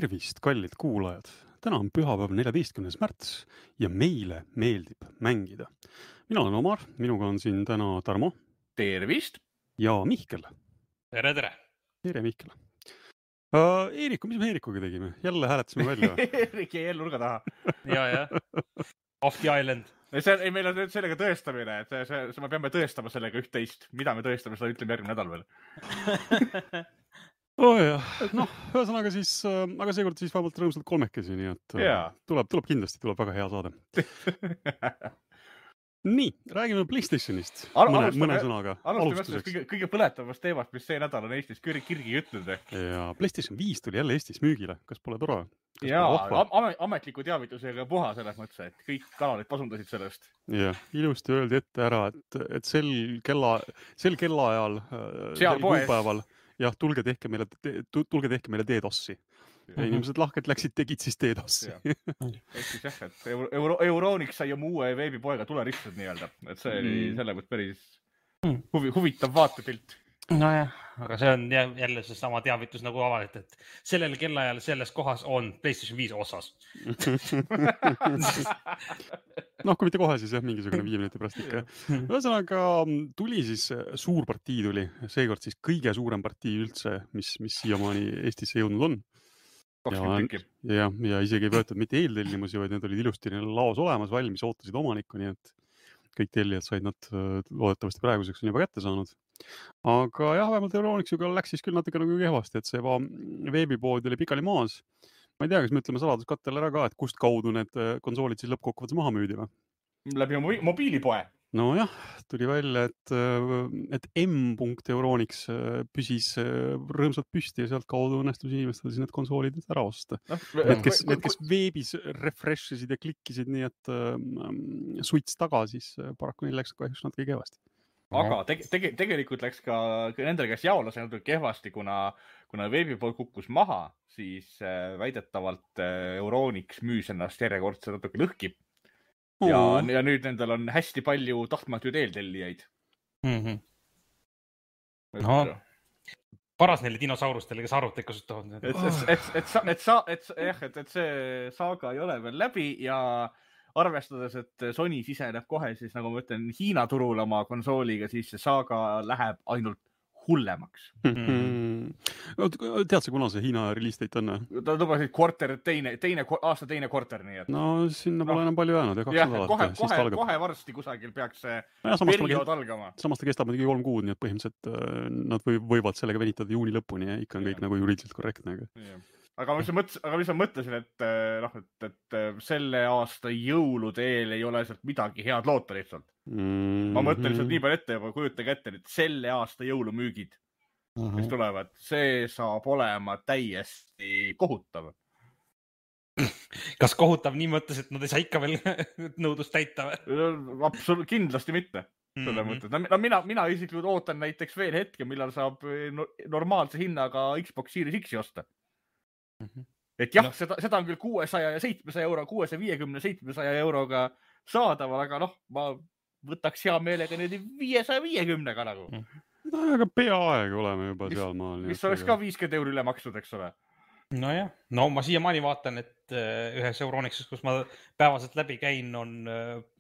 Tervist, kallid kuulajad! Täna on pühapäev 14. märts ja meile meeldib mängida. Mina olen Omar, minuga on siin täna Tarmo Tervist! ja Mihkel. Tere, tere! Tere, Mihkel! Eeriku, mis me Eerikuga tegime? Jälle hääletasime välja. Eerik jäi nurga taha. Ja. Off the island. Meil on nüüd sellega tõestamine, et me peame tõestama sellega üht-teist. Mida me tõestame, seda ütleme järgmine nädal veel. Jah, ühesõnaga siis, aga seekord siis vähemalt rõõmsalt kolmekesi, nii et tuleb kindlasti, tuleb väga hea saade. Nii, räägime PlayStationist mõne sõnaga. Alustame kõige põletavast teemast, mis see nädal on Eestis kirgi ütnud. Ja PlayStation 5 tuli jälle Eestis müügile. Kas pole tore? Ametliku teavitusega puha selles mõttes, et kõik kanalid pasundasid sellest. Ja, ilusti öeldi ette ära, et sel kellaajal, sel kuupäeval, jah, tulge tehke meile DDoS-i. Ja inimesed lahkelt tegid siis DDoS-i. Ehk siis jah, et Euronics sai oma uue veebipoega tuleristud nii-öelda. Et see oli selle mõttes päris huvitav vaatepilt. Nojah, aga see on jälle see sama teavitus nagu avalikult, et sellel kellaajal selles kohas on PlayStation 5 osas. Kui mitte kohe, siis mingisugune 5 minuti pärast ikka. Ühesõnaga tuli siis suur partii tuli, seekord siis kõige suurem partii üldse, mis siiamaani Eestisse jõudnud on. 20 tükki. Ja isegi ei võetud mitte eeltellimusi, vaid need olid ilusti laos olemas, valmis, ootasid omanikku, nii et kõik tellijad said nad loodetavasti praeguseks on juba kätte saanud. Aga jah, vähemalt Euronixiga läks siis küll natuke nagu kehvasti, et see veebipood oli pikali maas. Ma ei tea, kas me ütleme saladuskattel ära ka, et kust kaudu need konsoolid siis lõppkokkuvõttes maha müüdi või? Läbi mobiilipoe. No jah, tuli välja, et M.Euronix püsis rõõmsalt püsti ja sealt kaudu õnnestus inimestel siis need konsoolid ära osta. Need, kes veebis refreshisid ja klikkisid nii, et suits taga, siis paraku neil läks kahjuks natuke kehvasti. Aga tegelikult läks ka nendel, kes jaolas natuke kehvasti, kuna veebipool kukkus maha, siis väidetavalt Euronix müüs ennast järjekordselt natuke lõhki. Ja nüüd nendel on hästi palju tahtmatuid eeltellijaid. Paras neile dinosaurustele, kes arvuteid kasutavad. Et see saaga ei ole veel läbi ja arvestades, et Sony siseneb kohe siis, nagu ma ütlen, Hiina turul oma konsooliga, siis see saaga läheb ainult hullemaks. Tead sa, kuna see Hiina release date on? Ta lubasid aasta teine kvarter, nii et... No sinna pole enam palju jäänud. Kohe varsti kusagil peaks see periood algama. Samas ta kestab 3 kuud, nii et põhimõtteliselt nad võivad sellega venitada juuni lõpuni ja ikka on kõik nagu juriidiliselt korrektne. Aga mis ma mõtlesin, et selle aasta jõulude eel ei ole sealt midagi head loota lihtsalt. Ma mõtlen lihtsalt nii palju ette juba, kujutage ette, et selle aasta jõulumüügid, mis tulevad, see saab olema täiesti kohutav. Kas kohutav nii mõttes, et nad ei saa ikka veel nõudlust täita või? Kindlasti mitte. Mina isiklikult ootan näiteks veel hetke, millal saab normaalse hinnaga Xbox Series X osta. Et jah, seda on küll 600 ja 700 euro, 650-700 euroga saadaval, aga ma võtaks hea meelega nüüd 550-ga nagu. Aga peaaegu oleme juba seal maal. Mis oleks ka 50 euro üle maksnud, eks ole? Nojah, ma siiamaani vaatan, et ühes Euronixis, kus ma päevaselt läbi käin,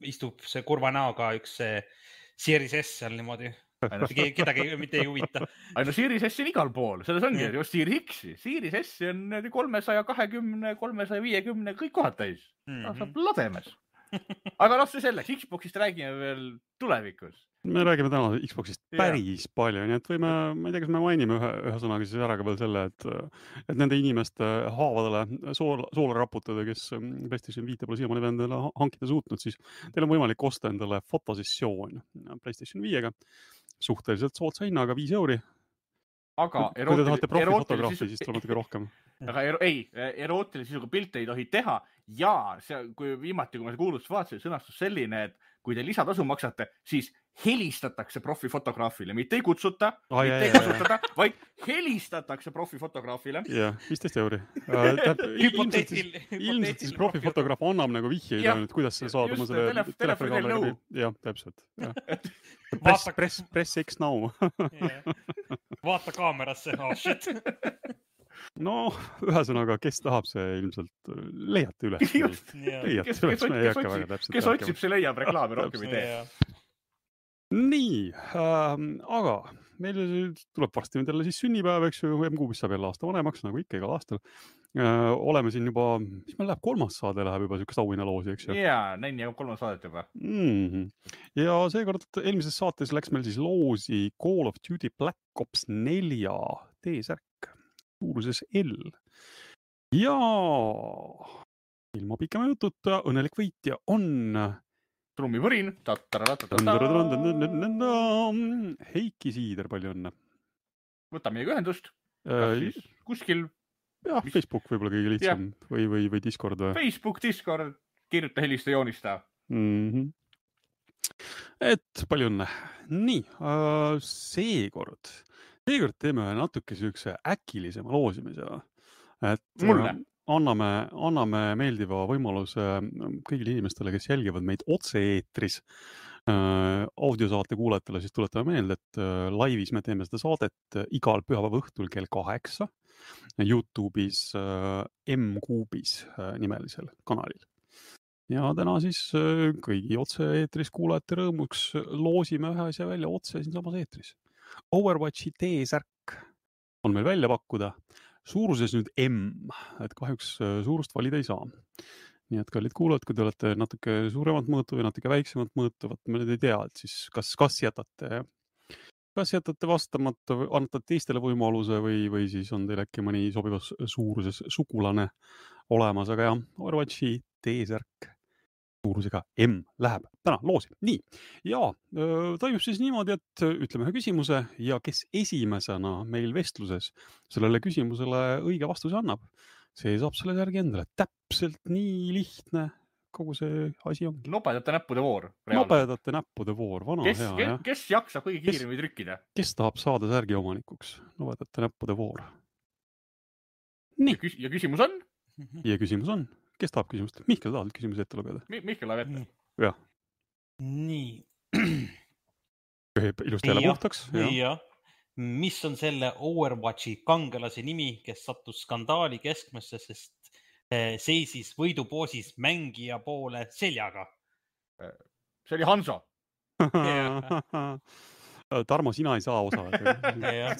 istub see kurva näoga üks Series S seal niimoodi. Kedagi mitte ei huvita. Series S on igal pool, selles ongi just Series X. Series S on 320, 350, kõik kohad täis. Saab lademes. Aga see selleks, Xboxist räägime veel tulevikus. Me räägime täna Xboxist päris palju, nii et võime, ma ei tea, kas me mainime ühe sõnaga siis ära ka veel selle, et nende inimeste haavadele soola raputada, kes PlayStation 5 pole siiamaani endale hankida suutnud, siis teil on võimalik osta endale fotosessioon PlayStation 5-ga suhteliselt soodsa hinnaga 5 euri. Aga kui te tahate profifotograafi, siis tuleb natuke rohkem. Aga erootilise sisuga pilte ei tohi teha ja kui viimati, kui ma kuulust vaatasin, sõnastus selline, et kui te lisatasu maksate, siis helistatakse profifotograafile, mitte ei kutsuta, mitte ei kasutada, vaid helistatakse profifotograafile. Jah, 15 euri. Ilmselt siis profifotograaf annab nagu vihjeid, kuidas sa saad oma selle telefoni. Jah, täpselt. Press X now. Vaata kaamerasse, shit. no ühesõnaga, kes tahab, see ilmselt leiate üles. Kes otsib, see leiab reklaami, rohkem ei tee. Nii, aga meil tuleb varsti nüüd jälle siis sünnipäev, eks ju, M-Kuubis saab jälle aasta vanemaks, nagu ikka igal aastal. Oleme siin juba, mis meil läheb, 3. saade läheb juba siukest auhinnaloosi, eks ju? Jaa, näin ja 3. saadet juba. Ja seekord eelmises saates läks meil siis loosi Call of Duty Black Ops 4 T-särk suuruses L. Ja ilma pikema jututa õnnelik võitja on trummipõrin. Heiki Siider, palju õnne. Võta meiega ühendust. Kuskil. Jah, Facebook võib-olla kõige lihtsam või Discord või? Facebook, Discord, kirjuta, helista, joonista. Et palju õnne. Nii, seekord teeme natuke siukse äkilisema loosimise. Et mulle. Anname meeldiva võimaluse kõigile inimestele, kes jälgivad meid otse-eetris audiosaate kuulajatele, siis tuletame meelde, et laivis me teeme seda saadet igal pühapäeva õhtul kell 8 YouTube'is M-Kuubis nimelisel kanalil. Ja täna siis kõigi otse-eetris kuulajate rõõmuks loosime ühe asja välja otse siin samas eetris. Overwatchi T-särk on meil välja pakkuda. Suuruses nüüd M, et kahjuks suurust valida ei saa. Nii et kallid kuulajad, kui te olete natuke suuremat mõõtu või natuke väiksemat mõõtu, me nüüd ei tea, et siis kas jätate vastamata, annate teistele võimaluse või siis on teil äkki mõni sobivas suuruses sugulane olemas, aga jah, Overwatchi T-särk suurusega M läheb täna loosi. Nii, ja toimub siis niimoodi, et ütleme ühe küsimuse ja kes esimesena meil vestluses sellele küsimusele õige vastuse annab, see saab selle järgi endale. Täpselt nii lihtne kogu see asi on. Nobedate näppude voor. Nobedate näppude voor, vana hea. Kes jaksab kõige kiiremini trükkida? Kes tahab saada särgi omanikuks? Nobedate näppude voor. Nii. Ja küsimus on? Ja küsimus on. Kes tahab küsimust? Mihkel, tahad küsimuse ette lugeda? Mihkel läheb ette. Jah. Nii. Ilusti jälle puhtaks. Ja. Mis on selle Overwatchi kangelase nimi, kes sattus skandaali keskmesse, sest seisis võidupoosis mängija poole seljaga? See oli Hanso. Tarmo, sina ei saa osa.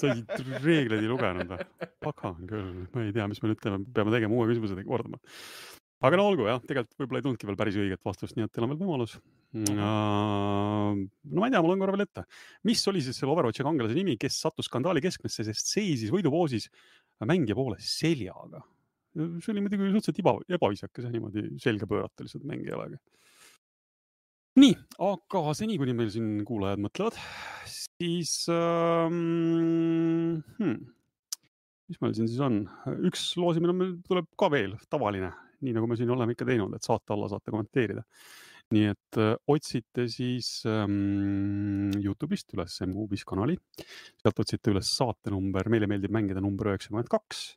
Sa reegleid ei lugenud. Pakan küll. Ma ei tea, mis me nüüd peame tegema uue küsimused kordama. Aga no olgu, jah, tegelikult võib-olla ei tundki veel päris õiget vastust, nii et teil on veel võimalus. No ma ei tea, mul on korra veel ette. Mis oli siis selle Overwatchi kangelase nimi, kes sattus skandaali keskmesse, sest seisis võidupoosis mängija poole seljaga? See oli muidugi suhteliselt ebaviisakas ja niimoodi selga pöörata lihtsalt mängijale. Nii, aga seni, kuni meil siin kuulajad mõtlevad, siis mis meil siin siis on? Üks loosimine meil tuleb ka veel tavaline, nii nagu me siin oleme ikka teinud, et saate alla saate kommenteerida. Nii et otsite siis YouTube'ist üles M-Kuubis kanali, sealt otsite üles saate number, meile meeldib mängida number 92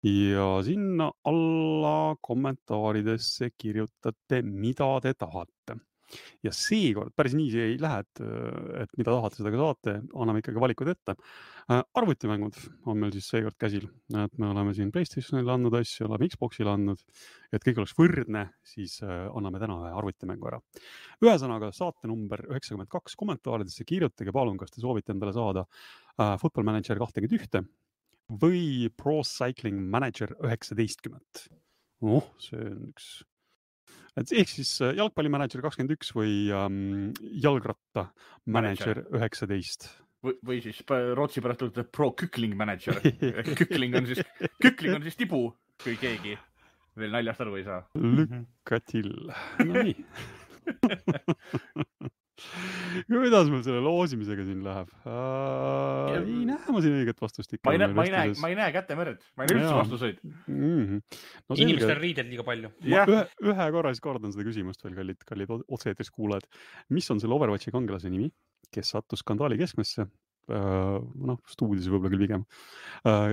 ja sinna alla kommentaaridesse kirjutate, mida te tahate. Ja seekord päris nii see ei lähe, et mida tahate, seda ka saate, anname ikkagi valikud ette. Arvutimängud on meil siis seekord käsil, et me oleme siin PlayStationile andnud asju, oleme Xboxile andnud, et kõik oleks võrdne, siis anname täna ühe arvutimängu ära. Ühesõnaga saate number 92 kommentaaridesse kirjutage, palun, kas te soovite endale saada Football Manager 21 või Pro Cycling Manager 19. See on üks... Ehk siis jalgpallimanager 21 või jalgratta manager 19. Või siis Rootsi pärast tuleb Pro Kükling Manager. Kükling on siis tibu, kui keegi veel naljast aru ei saa. Lükkatil. No nii. Kuidas meil selle loosimisega siin läheb? Ei näe ma siin õiget vastust ikka. Ma ei näe kätemerd. Ma ei näe üldse vastuseid. Inimestel riided liiga palju. Ühe korra siis kordan seda küsimust veel, kallid otse-eetris kuulajad. Mis on selle Overwatchi kangelase nimi, kes sattus skandaali keskmesse? Stuudios võib-olla küll pigem.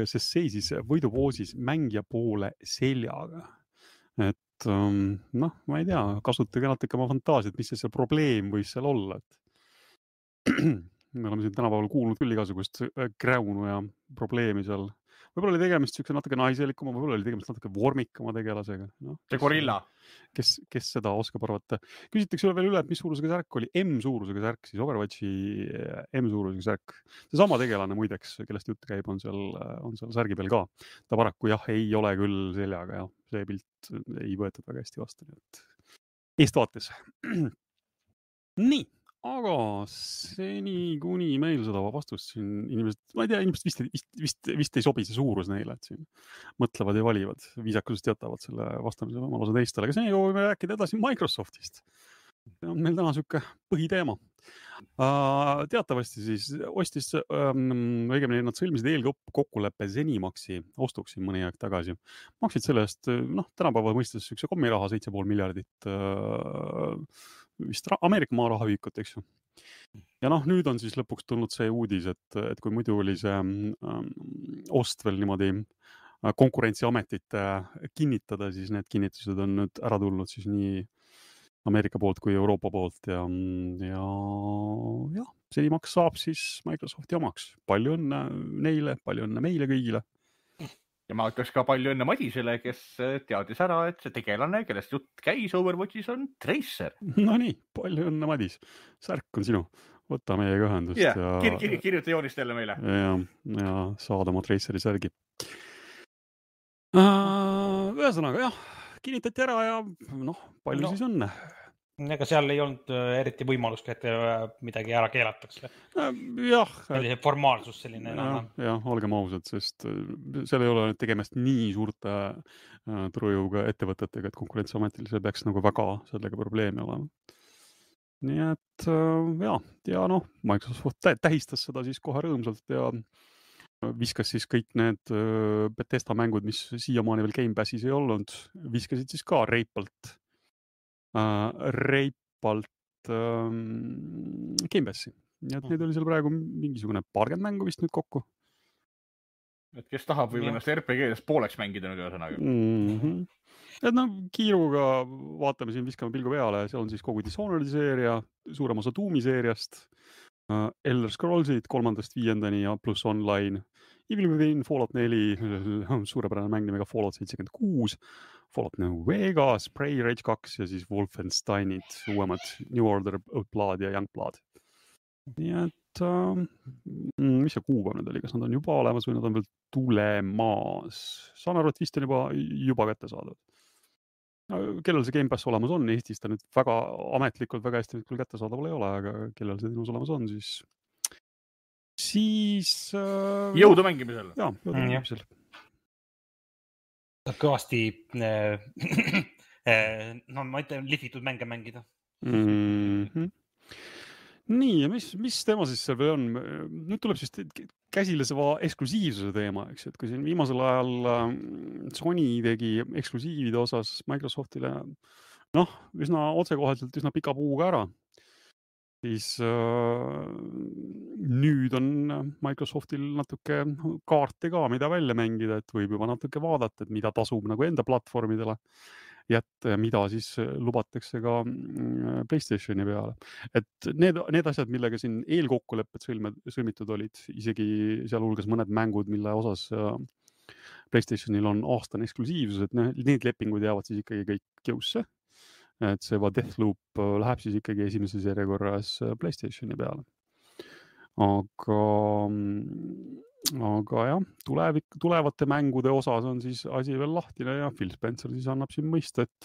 Sest seisis võidupoosis mängija poole seljaga. Et ma ei tea, kasutage natuke oma fantaasiat, mis see probleem võis seal olla. Me oleme siin tänapäeval kuulnud küll igasugust kräunu ja probleemi seal võib-olla oli tegemist siukse natuke naiselikuma, võib-olla oli tegemist natuke vormikama tegelasega. No, see gorilla. Kes seda oskab arvata. Küsitakse veel üle, et mis suurusega särk oli. M-suurusega särk, siis Overwatchi M-suurusega särk. See sama tegelane muideks, kellest jutt käib, on seal särgi peal ka. Ta paraku jah, ei ole küll seljaga ja see pilt ei võetud väga hästi vastu. Nii et eestvaates. Nii, aga seni kuni meil seda vastust siin inimesed, ma ei tea, inimesed vist ei sobi see suurus neile, et siin mõtlevad ja valivad, viisakusest jätavad selle vastamise võimaluse teistele. Aga seni võime rääkida edasi Microsoftist. See on meil täna siuke põhiteema. Teatavasti siis ostis, õigemini nad sõlmisid eelkokkuleppe Zenimaxi ostuks siin mõni aeg tagasi. Maksid selle eest, tänapäeva mõistes siukse kommiraha 7,5 miljardit vist Ameerika maarahaühikut, eks ju. Ja nüüd on siis lõpuks tulnud see uudis, et kui muidu oli see ost veel niimoodi konkurentsiametite kinnitada, siis need kinnitused on nüüd ära tulnud siis nii Ameerika poolt kui Euroopa poolt ja Zenimax saab siis Microsofti omaks. Palju õnne neile, palju õnne meile kõigile. Ja ma ütleks ka palju õnne Madisele, kes teadis ära, et see tegelane, kellest jutt käis Overwatchis on Tracer. No nii, palju õnne Madis. Särk on sinu. Võta meiega ühendust. Kirjuta joonist jälle meile. Ja saada oma Traceri särgi. Ühesõnaga jah, kinnitati ära ja palju siis õnne. Ega seal ei olnud eriti võimalust, et midagi ära keelatakse. Jah. Formaalsus selline. Jah, olgem ausad, sest seal ei ole tegemist nii suurte turujõuga ettevõtetega, et konkurentsiametil see peaks väga sellega probleemi olema. Nii et Microsoft tähistas seda siis kohe rõõmsalt ja viskas siis kõik need Bethesda mängud, mis siiamaani veel Game Passis ei olnud, viskasid siis ka reipalt Game Passi. Nii et neid oli seal praegu mingisugune 40 mängu vist nüüd kokku. Et kes tahab võib ennast RPG-des pooleks mängida nüüd ühesõnaga. Et kiiruga vaatame siin, viskame pilgu peale, seal on siis kogu Dishonored'i seeria, suurem osa Doomi seeriast, Elder Scrollsid 3.–5. ja pluss online, Evil Within, Fallout 4, suurepärane mäng nimega Fallout 76, Fallout New Vegas, Prey, Rage 2 ja siis Wolfensteinid, uuemad New Order, Blood ja Youngblood. Nii et mis see kuupäev nüüd oli, kas nad on juba olemas või nad on veel tulemas? Saan aru, et vist on juba kätte saadud. Kellel see Game Pass olemas on, Eestis ta nüüd väga ametlikult väga hästi küll kätte saadaval ei ole, aga kellel see tinus olemas on, siis jõudu mängimisel. Jaa, jõudu mängimisel. Kõvasti ma ütlen, lihvitud mänge mängida. Nii, ja mis teema siis seal või on? Nüüd tuleb siis käsile see eksklusiivsuse teema, eks, et kui siin viimasel ajal Sony tegi eksklusiivide osas Microsoftile üsna otsekoheselt üsna pika puuga ära, siis nüüd on Microsoftil natuke kaarte ka, mida välja mängida, et võib juba natuke vaadata, et mida tasub enda platvormidele jätta ja mida siis lubatakse ka PlayStationi peale. Et need asjad, millega siin eelkokkulepped sõlmitud olid, isegi sealhulgas mõned mängud, mille osas PlayStationil on aastane eksklusiivsus, et need lepingud jäävad siis ikkagi kõik jõusse. Et see Deathloop läheb siis ikkagi esimeses järjekorras PlayStationi peale. Aga jah, tulevate mängude osas on siis asi veel lahtine ja Phil Spencer siis annab siin mõista, et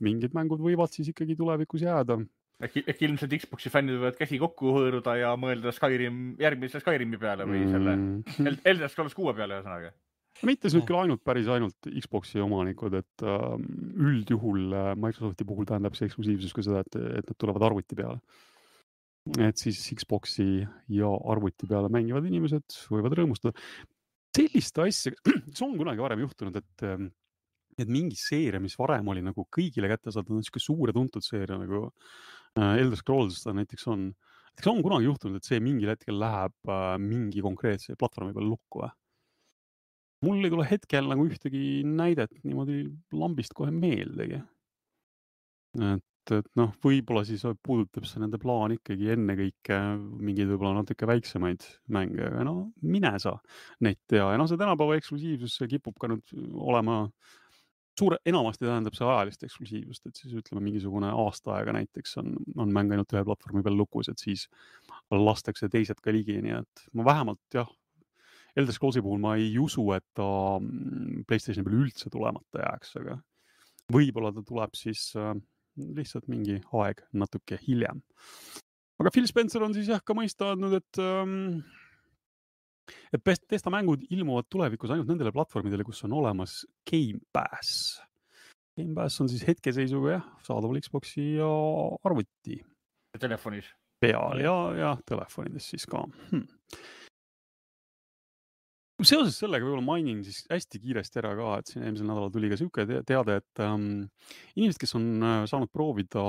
mingid mängud võivad siis ikkagi tulevikus jääda. Ehk ilmselt Xboxi fännid võivad käsi kokku hõõruda ja mõelda järgmise Skyrimi peale või selle Elder Scrolls 6 peale ühesõnaga. Mitte nüüd küll ainult Xboxi omanikud, et üldjuhul Microsofti puhul tähendab see eksklusiivsus ka seda, et nad tulevad arvuti peale. Et siis Xboxi ja arvuti peale mängivad inimesed võivad rõõmustada. Sellist asja, see on kunagi varem juhtunud, et mingi seeria, mis varem oli nagu kõigile kätte saadud, on siuke suur ja tuntud seeria nagu Elder Scrolls näiteks on. See on kunagi juhtunud, et see mingil hetkel läheb mingi konkreetse platvormi peale lukku või? Mul ei tule hetkel nagu ühtegi näidet niimoodi lambist kohe meeldegi. et noh, võib-olla siis puudutab see nende plaan ikkagi ennekõike mingeid võib-olla natuke väiksemaid mänge, aga no mine sa neid tea. Ja noh, see tänapäeva eksklusiivsus kipub ka nüüd olema enamasti tähendab see ajalist eksklusiivust, et siis ütleme mingisugune aasta aega näiteks on mäng ainult ühe platvormi peal lukus, et siis lastakse teised ka ligi, nii et ma vähemalt jah, Elder Scrollsi puhul ma ei usu, et ta PlayStationi peal üldse tulemata jääks, aga võib-olla ta tuleb siis lihtsalt mingi aeg natuke hiljem. Aga Phil Spencer on siis jah ka mõista andnud, et Bethesda mängud ilmuvad tulevikus ainult nendele platvormidele, kus on olemas Game Pass. Game Pass on siis hetkeseisuga jah, saadaval Xboxi ja arvuti. Telefonis. Peal ja telefonides siis ka. Seoses sellega võib-olla mainin siis hästi kiiresti ära ka, et siin eelmisel nädalal tuli ka siuke teade, et inimesed, kes on saanud proovida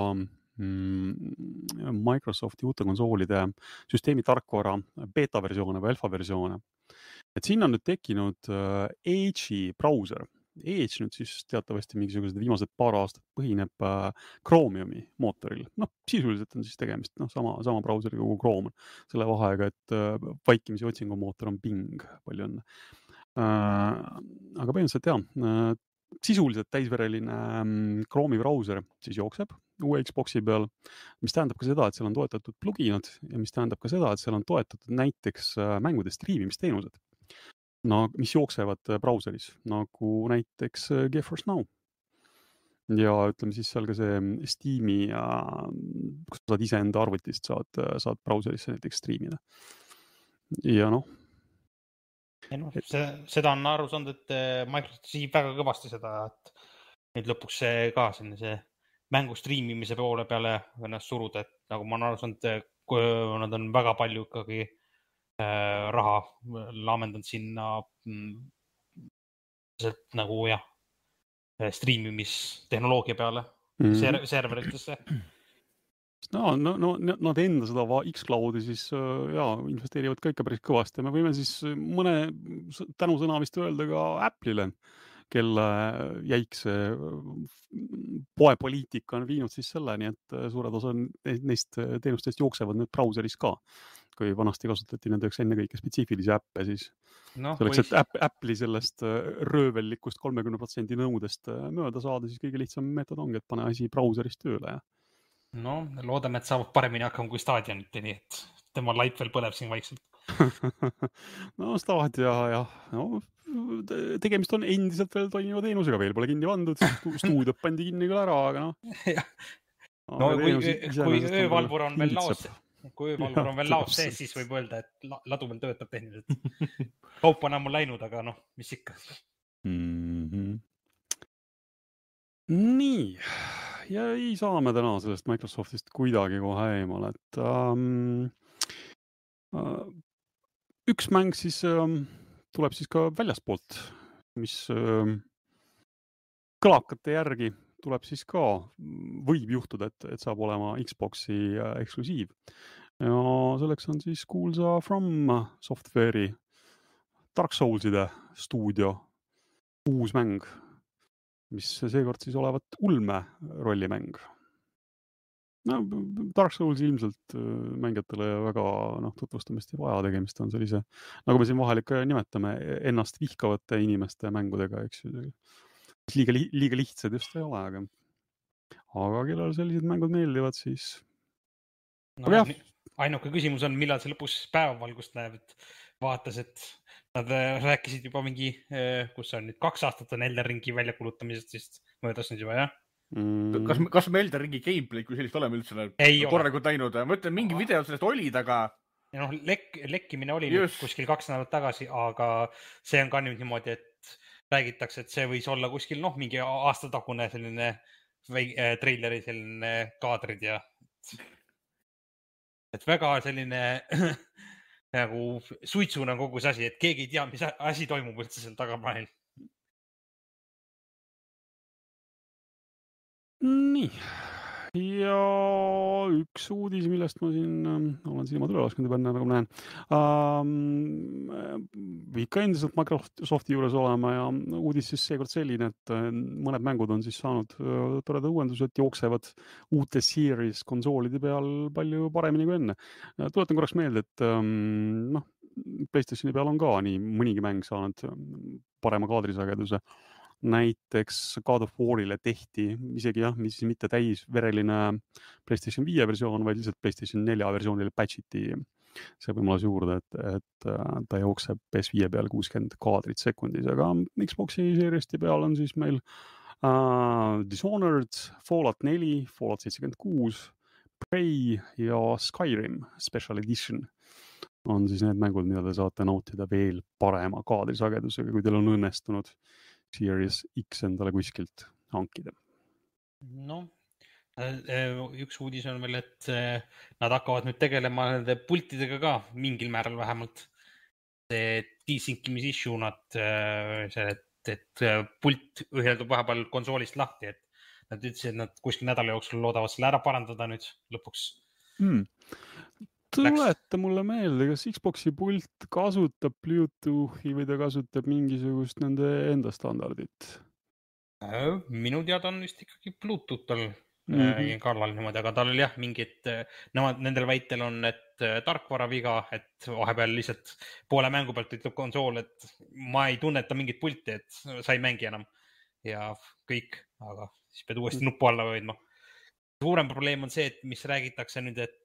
Microsofti uute konsoolide süsteemi tarkvara beta-versioone või alfa-versioone, et siin on nüüd tekkinud Edge'i brauser. Edge nüüd siis teatavasti mingisugused viimased paar aastat põhineb Chromiumi mootoril. Noh, sisuliselt on siis tegemist sama brauseri kogu Chrome. Selle vahega, et vaikimisi otsingumootor on Bing, palju õnne. Aga põhimõtteliselt jah, sisuliselt täisvereline Chrome'i brauser siis jookseb uue Xboxi peal, mis tähendab ka seda, et seal on toetatud pluginad ja mis tähendab ka seda, et seal on toetatud näiteks mängude striimimisteenused. No, mis jooksevad brauseris, nagu näiteks GeForce Now. Ja ütleme siis seal ka see Steam'i, kus saad ise enda arvutist saad brauserisse näiteks striimida. Ja noh. Seda on aru saanud, et Microsoft siib väga kõvasti seda, et nüüd lõpuks see ka see mängu striimimise poole peale ennast suruda, et nagu ma olen aru saanud, nad on väga palju ikkagi raha laamendanud sinna nagu jah, striimimistehnoloogia peale serveritesse. No, nad enda seda X-Cloudi siis investeerivad ka ikka päris kõvasti. Me võime siis mõne tänusõna vist öelda ka Apple'ile, kelle jäikse poepoliitika on viinud siis selleni, et suured osa neist teenustest jooksevad nüüd brauseris ka. Kui vanasti kasutati nendeks ennekõike spetsiifilisi äppe, siis selleks, et Apple'i sellest röövellikust 30% nõudest mööda saada, siis kõige lihtsam meetod ongi, et pane asi brauseris tööle. Ja. No, loodame, et saavad paremini hakkama kui Stadianit, nii et tema laip veel põleb siin vaikselt. No, Stadia ja no, tegemist on endiselt veel toimiva teenusega, veel pole kinni pandud, stuudiot pandi kinni küll ära, aga no kui öövalvur on veel laos, sees, siis võib öelda, et ladu veel töötab tehniliselt. Kaup on ammu läinud, aga noh, mis ikka. Nii, ja ei saa me täna sellest Microsoftist kuidagi kohe eemale, et üks mäng siis tuleb siis ka väljaspoolt, mis kõlakate järgi tuleb siis ka, võib juhtuda, et saab olema Xboxi eksklusiiv. Ja selleks on siis kuulsa From Software'i Dark Soulside stuudio uus mäng, mis seekord siis olevat ulme rollimäng. No, Dark Souls ilmselt mängijatele väga tutvustamist ei vaja, tegemist on sellise, nagu me siin vahel ikka nimetame, ennast vihkavate inimeste mängudega, eks ju. Liiga lihtsad just ei ole, aga kellel sellised mängud meeldivad, siis... No, ainuke küsimus on, millal see lõpus päevavalgust näeb, et vaatas, et nad rääkisid juba mingi, kus on nüüd 2 aastat on Elden Ringi väljakulutamisest, siis möödas nüüd juba, jah? Kas me Elden Ringi gameplay, kui sellist oleme üldse korralikult näinud? Ma ütlen, mingi video sellest olid, aga... Ja lekkimine oli nüüd kuskil 2 nädalat tagasi, aga see on ka nüüd niimoodi, et räägitakse, et see võis olla kuskil mingi aastatagune selline treileri selline kaadrid ja et väga selline nagu suitsuna kogu see asi, et keegi ei tea, mis asi toimub üldse seal tagaplaanil. Nii. Ja üks uudis, millest ma siin olen silmad üle lasknud juba enne, nagu näen. Ikka endiselt Microsofti juures olema ja uudis siis seekord selline, et mõned mängud on siis saanud toredad uuendused, jooksevad uute Series konsoolide peal palju paremini kui enne. Tuletan korraks meelde, et PlayStationi peal on ka nii mõnigi mäng saanud parema kaadrisageduse. Näiteks God of Warile tehti isegi mis mitte täisvereline PlayStation 5 versioon, vaid lihtsalt PlayStation 4 versioonile patchiti see võimalus juurde, et ta jookseb PS5 peal 60 kaadrit sekundis, aga Xbox'i Series'i peal on siis meil Dishonored, Fallout 4, Fallout 76, Prey ja Skyrim Special Edition on siis need mängud, mida te saate nautida veel parema kaadrisagedusega, kui teil on õnnestunud Series X endale kuskilt hankida. No, üks uudis on veel, et nad hakkavad nüüd tegelema nende pultidega ka mingil määral vähemalt. See desync'imise issue et pult üheldub vahepeal konsoolist lahti, et nad ütlesid, et nad kuskil nädala jooksul loodavad selle ära parandada nüüd lõpuks. Tuleta mulle meelde, kas Xbox'i pult kasutab Bluetoothi või ta kasutab mingisugust nende enda standardit? Minu teada on vist ikkagi Bluetooth tal kallal niimoodi, aga tal oli jah mingid, nendel väitel on, et tarkvara viga, et vahepeal lihtsalt poole mängu pealt ütleb konsool, et ma ei tunneta mingit pulti, et sa ei mängi enam ja kõik, aga siis pead uuesti nuppu alla hoidma. Suurem probleem on see, et mis räägitakse nüüd, et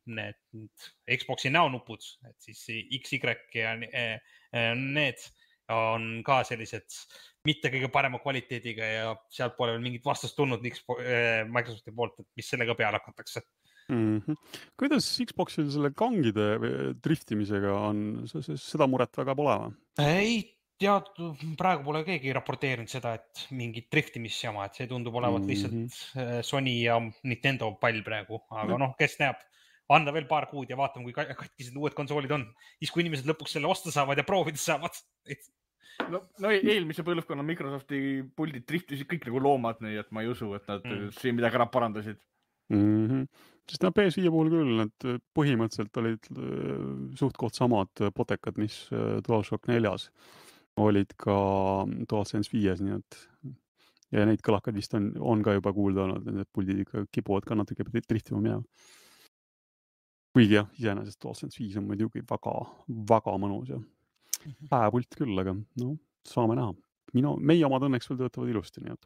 need Xbox'i näonupud, et siis X, Y ja need on ka sellised mitte kõige parema kvaliteediga ja sealt pole veel mingit vastust tulnud Microsofti poolt, et mis sellega peale hakatakse. Kuidas Xbox'il selle kangide driftimisega on? Seda muret väga pole või? Ei tead, praegu pole keegi raporteerinud seda, et mingit driftimisjama, et see tundub olevat lihtsalt Sony ja Nintendo pall praegu, aga kes näeb, anda veel paar kuud ja vaatame, kui katkised uued konsoolid on. Siis kui inimesed lõpuks selle osta saavad ja proovida saavad. No eelmise põlvkonna Microsofti puldid driftisid kõik nagu loomad, nii et ma ei usu, et nad siin midagi ära parandasid. Sest PS5 puhul küll, et põhimõtteliselt olid suht-koht samad potekad, mis DualShock 4-s olid ka DualSense 5-s, nii et ja neid kõlakad vist on ka juba kuulda olnud, need puldid ikka kipuvad ka natuke driftima minema. Kuigi jah, iseenesest DualSense 5 on muidugi väga mõnus ja päepult küll, aga saame näha. Meie omad õnneks veel töötavad ilusti, nii et.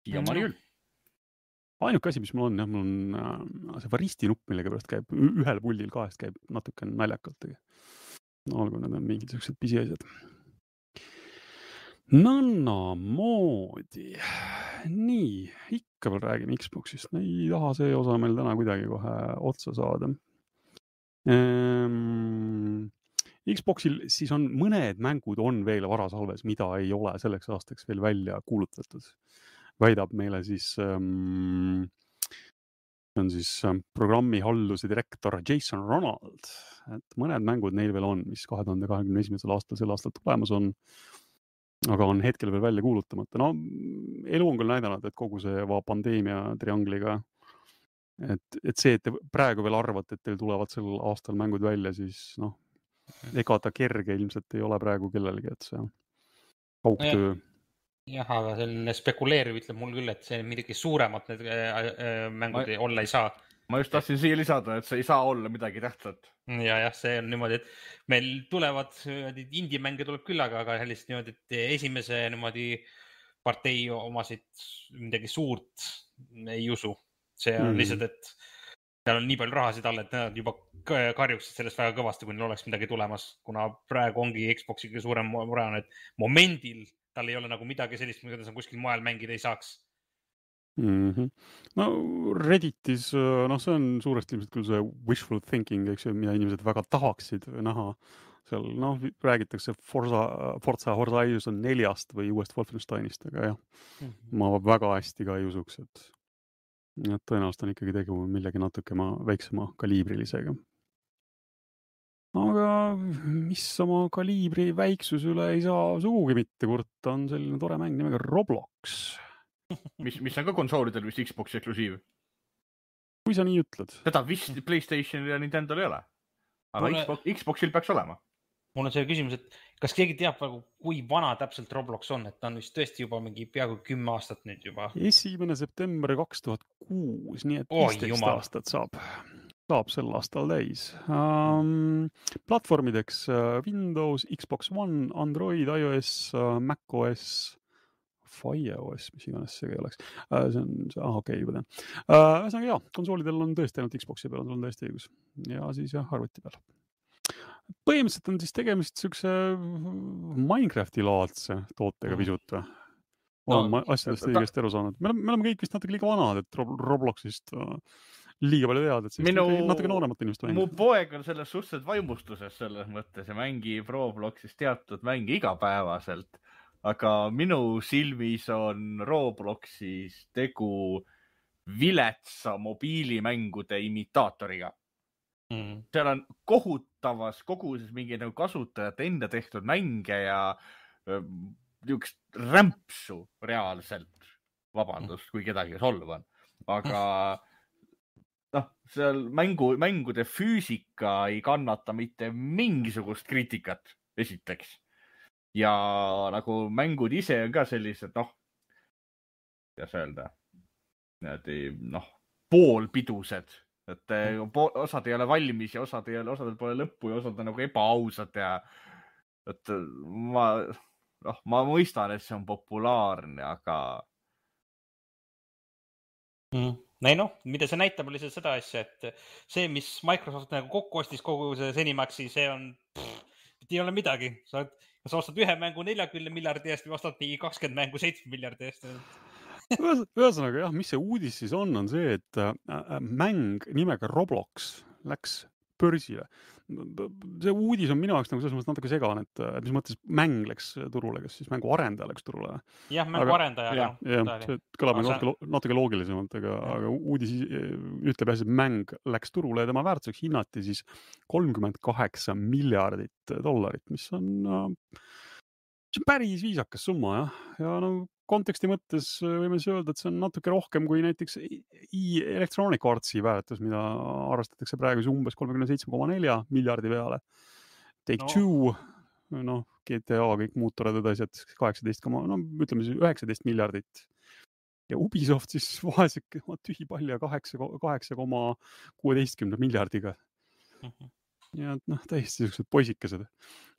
Ja ma küll. Ainuke asi, mis mul on, mul on see varisti nupp, millega pärast käib ühel puldil kahest käib natuke naljakalt. Olgu, need on mingid sellised pisiasjad. Moodi. Nii, ikka veel räägime Xbox'ist. Ei taha see osa meil täna kuidagi kohe otsa saada. Xbox'il siis on mõned mängud on veel varasalves, mida ei ole selleks aastaks veel välja kuulutatud. Väidab meile siis on siis programmihalduse direktor Jason Ronald, et mõned mängud neil veel on, mis 2021. aastal sel aastal tulemas on, aga on hetkel veel välja kuulutamata. Elu on küll näidanud, et kogu see pandeemia triangliga, et see, et te praegu veel arvate, et teil tulevad sel aastal mängud välja, siis ega ta kerge ilmselt ei ole praegu kellelgi, et see kaugtöö. Jah, aga selline spekuleeriv ütleb mul küll, et see midagi suuremat need mängud olla ei saa. Ma just tahtsin siia lisada, et see ei saa olla midagi tähtsat. Ja see on niimoodi, et meil tulevad indie-mänge tuleb küll, aga sellist niimoodi, et esimese niimoodi partei omasid midagi suurt ei usu. See on lihtsalt, et seal on nii palju rahasid all, et nad juba karjuksid sellest väga kõvasti, kui neil oleks midagi tulemas, kuna praegu ongi Xbox'i kõige suurem mure on, et momendil tal ei ole nagu midagi sellist, mida sa kuskil moel mängida ei saaks. Redditis, see on suuresti ilmselt küll see wishful thinking, eks ju, mida inimesed väga tahaksid näha. Seal, räägitakse Forza Horizon 4-st või uuest Wolfensteinist, aga jah, ma väga hästi ka ei usuks, et tõenäoliselt on ikkagi tegu millegi natuke väiksema kaliibrilisega. Aga mis oma kaliibri väiksus üle ei saa sugugi mitte kurta, on selline tore mäng nimega Roblox. Mis on ka konsoolidel vist Xbox eksklusiiv? kui sa nii ütled. Seda vist PlayStationil ja Nintendo'l ei ole. Aga Xboxil peaks olema. Mul on see küsimus, et kas keegi teab, kui vana täpselt Roblox on, et ta on vist tõesti juba mingi peaaegu 10 aastat nüüd juba. 1. september 2006, nii et 15 aastat saab sel aastal täis. Platvormideks Windows, Xbox One, Android, iOS, macOS, FireOS, mis iganes see ei oleks. Okei, juba tean. Ühesõnaga konsoolidel on tõesti ainult Xboxi peal, on täiesti õigus. Ja siis arvuti peal. Põhimõtteliselt on siis tegemist siukse Minecrafti-laadse tootega pisut. Olen asjadest õigesti aru saanud. Me oleme kõik vist natuke liiga vanad, et Robloxist liiga palju teada, et see natuke nooremat inimest mängib. Mu poeg on selles suhteliselt vaimustuses selles mõttes ja mängib Robloxis teatud mänge igapäevaselt. Aga minu silmis on Robloxis tegu viletsa mobiilimängude imitaatoriga. Seal on kohutavas koguses mingi kasutajate enda tehtud mänge ja niisugust rämpsu reaalselt, vabandust, kui kedagi solvan. Aga seal mängude füüsika ei kannata mitte mingisugust kriitikat, esiteks. Ja nagu mängud ise on ka sellised, kuidas öelda, poolpidused. Et osad ei ole valmis ja osadel pole lõppu ja osad on nagu ebaausad ja et ma mõistan, et see on populaarne, aga mida see näitab, oli seda asja, et see, mis Microsoft nagu kokku ostis kogu see Zenimaxi, see on, ei ole midagi. Sa ostad ühe mängu 40 miljardi eest või ostad 20 mängu 7 miljardi eest. Ühesõnaga mis see uudis siis on see, et mäng nimega Roblox läks börsile. See uudis on minu jaoks nagu selles mõttes natuke segane, et mis mõttes mäng läks turule, kas siis mängu arendaja läks turule? Jah, mängu arendaja. See kõlab natuke loogilisemalt, aga uudis ütleb jah, et mäng läks turule ja tema väärtuseks hinnati siis $38 miljardit, mis on päris viisakas summa, ja konteksti mõttes võime öelda, et see on natuke rohkem kui näiteks Electronic Artsi väärtus, mida arvestatakse praegu umbes 37,4 miljardi peale. Take-Two, GTA, kõik muud toredad asjad, 19 miljardit. Ja Ubisoft siis vaeseke tühi palja 8,16 miljardiga. Ja täiesti sellised poisikesed.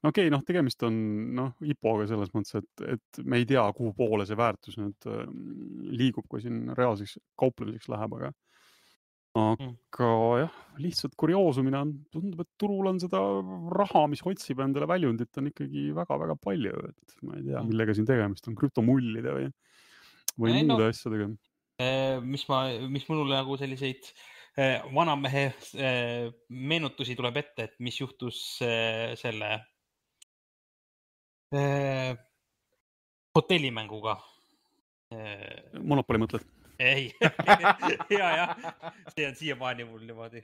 Okei, tegemist on IPO-ga selles mõttes, et me ei tea, kuhu poole see väärtus nüüd liigub, kui siin reaalseks kauplemiseks läheb, aga jah, lihtsalt kurioosumina tundub, et turul on seda raha, mis otsib endale väljundit, on ikkagi väga-väga palju, et ma ei tea, millega siin tegemist on, krüptomullide või muude asjadega. Mis minule nagu selliseid vanamehe meenutusi tuleb ette, et mis juhtus selle hotellimänguga. Monopoli mõtled? Ei, ja. See on siiamaani mul niimoodi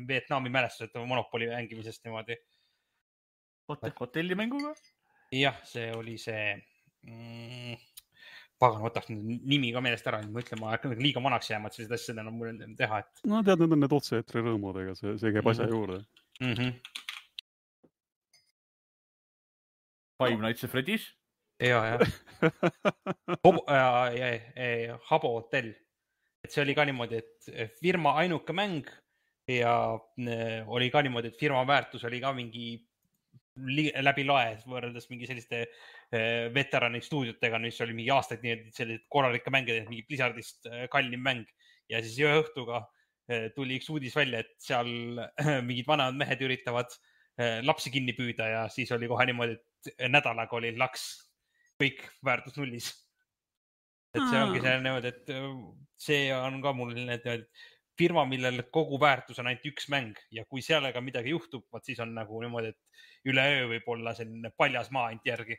Vietnami mälestused Monopoli mängimisest niimoodi. Hotellimänguga? Jah, see oli see pagan, võtaks nimi ka meelest ära, ma ütlen, ma hakkan liiga vanaks jääma, et sellised asjad enam mul teha. Tead, need on need otse-eetri rõõmudega, see käib asja juurde. Five Nights at Freddy's? Ja. Habo hotell. Et see oli ka niimoodi, et firma ainuke mäng ja oli ka niimoodi, et firma väärtus oli ka mingi läbi lae võrreldes mingi selliste veterani stuudiotega, mis oli mingi aastaid sellised korralikke mänge, mingi Blizzardist kallim mäng. Ja siis ühe õhtuga tuli üks uudis välja, et seal mingid vanemad mehed üritavad lapsi kinni püüda ja siis oli kohe niimoodi, et nädalaga oli laks kõik väärtus nullis. Et see ongi selline, et see on ka mul firma, millel kogu väärtus on ainult üks mäng ja kui sellega midagi juhtub, siis on nagu niimoodi, et üle öö võib olla selline paljas maa ainult järgi.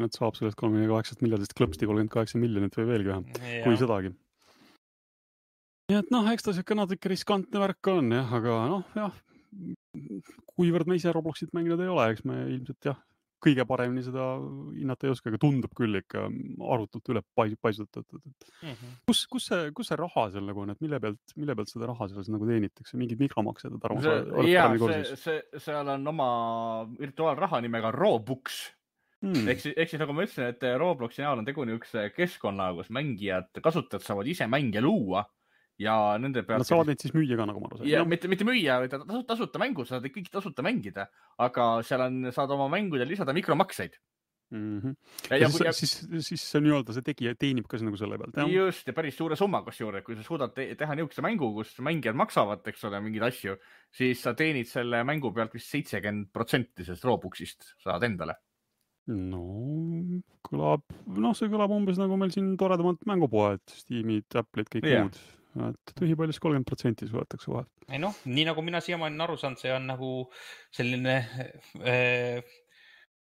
Et saab sellest 38 miljardist klõpsti 38 miljonit või veelgi vähem, kui sedagi. Nii et eks ta siuke natuke riskantne värk on, aga kuivõrd me ise Robloxit mänginud ei ole, eks me ilmselt kõige paremini seda hinnata ei oska, aga tundub küll ikka arvutult üle paisutatud. Kus see raha seal nagu on, et mille pealt seda raha selles nagu teenitakse? Mingid mikromaksed? Seal on oma virtuaalraha nimega Robux. Ehk siis nagu ma ütlesin, et Robloxi näol on tegu niisuguse keskkonna, kus mängijad, kasutajad saavad ise mänge luua ja nende pealt... Nad saavad neid siis müüa ka, nagu ma aru sain. Ja, mitte müüa, tasuta mängu, saad kõik tasuta mängida, aga seal saad oma mängudel lisada mikromakseid. Siis see nii-öelda see tegija teenib ka nagu selle pealt. Just, ja päris suure summa juurde, kui sa suudad teha niisuguse mängu, kus mängijad maksavad, eks ole, mingeid asju, siis sa teenid selle mängu pealt vist 70% sellest Robuxist saad endale. No, see kõlab umbes nagu meil siin toredamad mängupoed, Steamid, Apple'id, kõik muud. Et tühipaljus 30% suletakse vahel. Ei nii nagu mina siiamaani aru saanud, see on nagu selline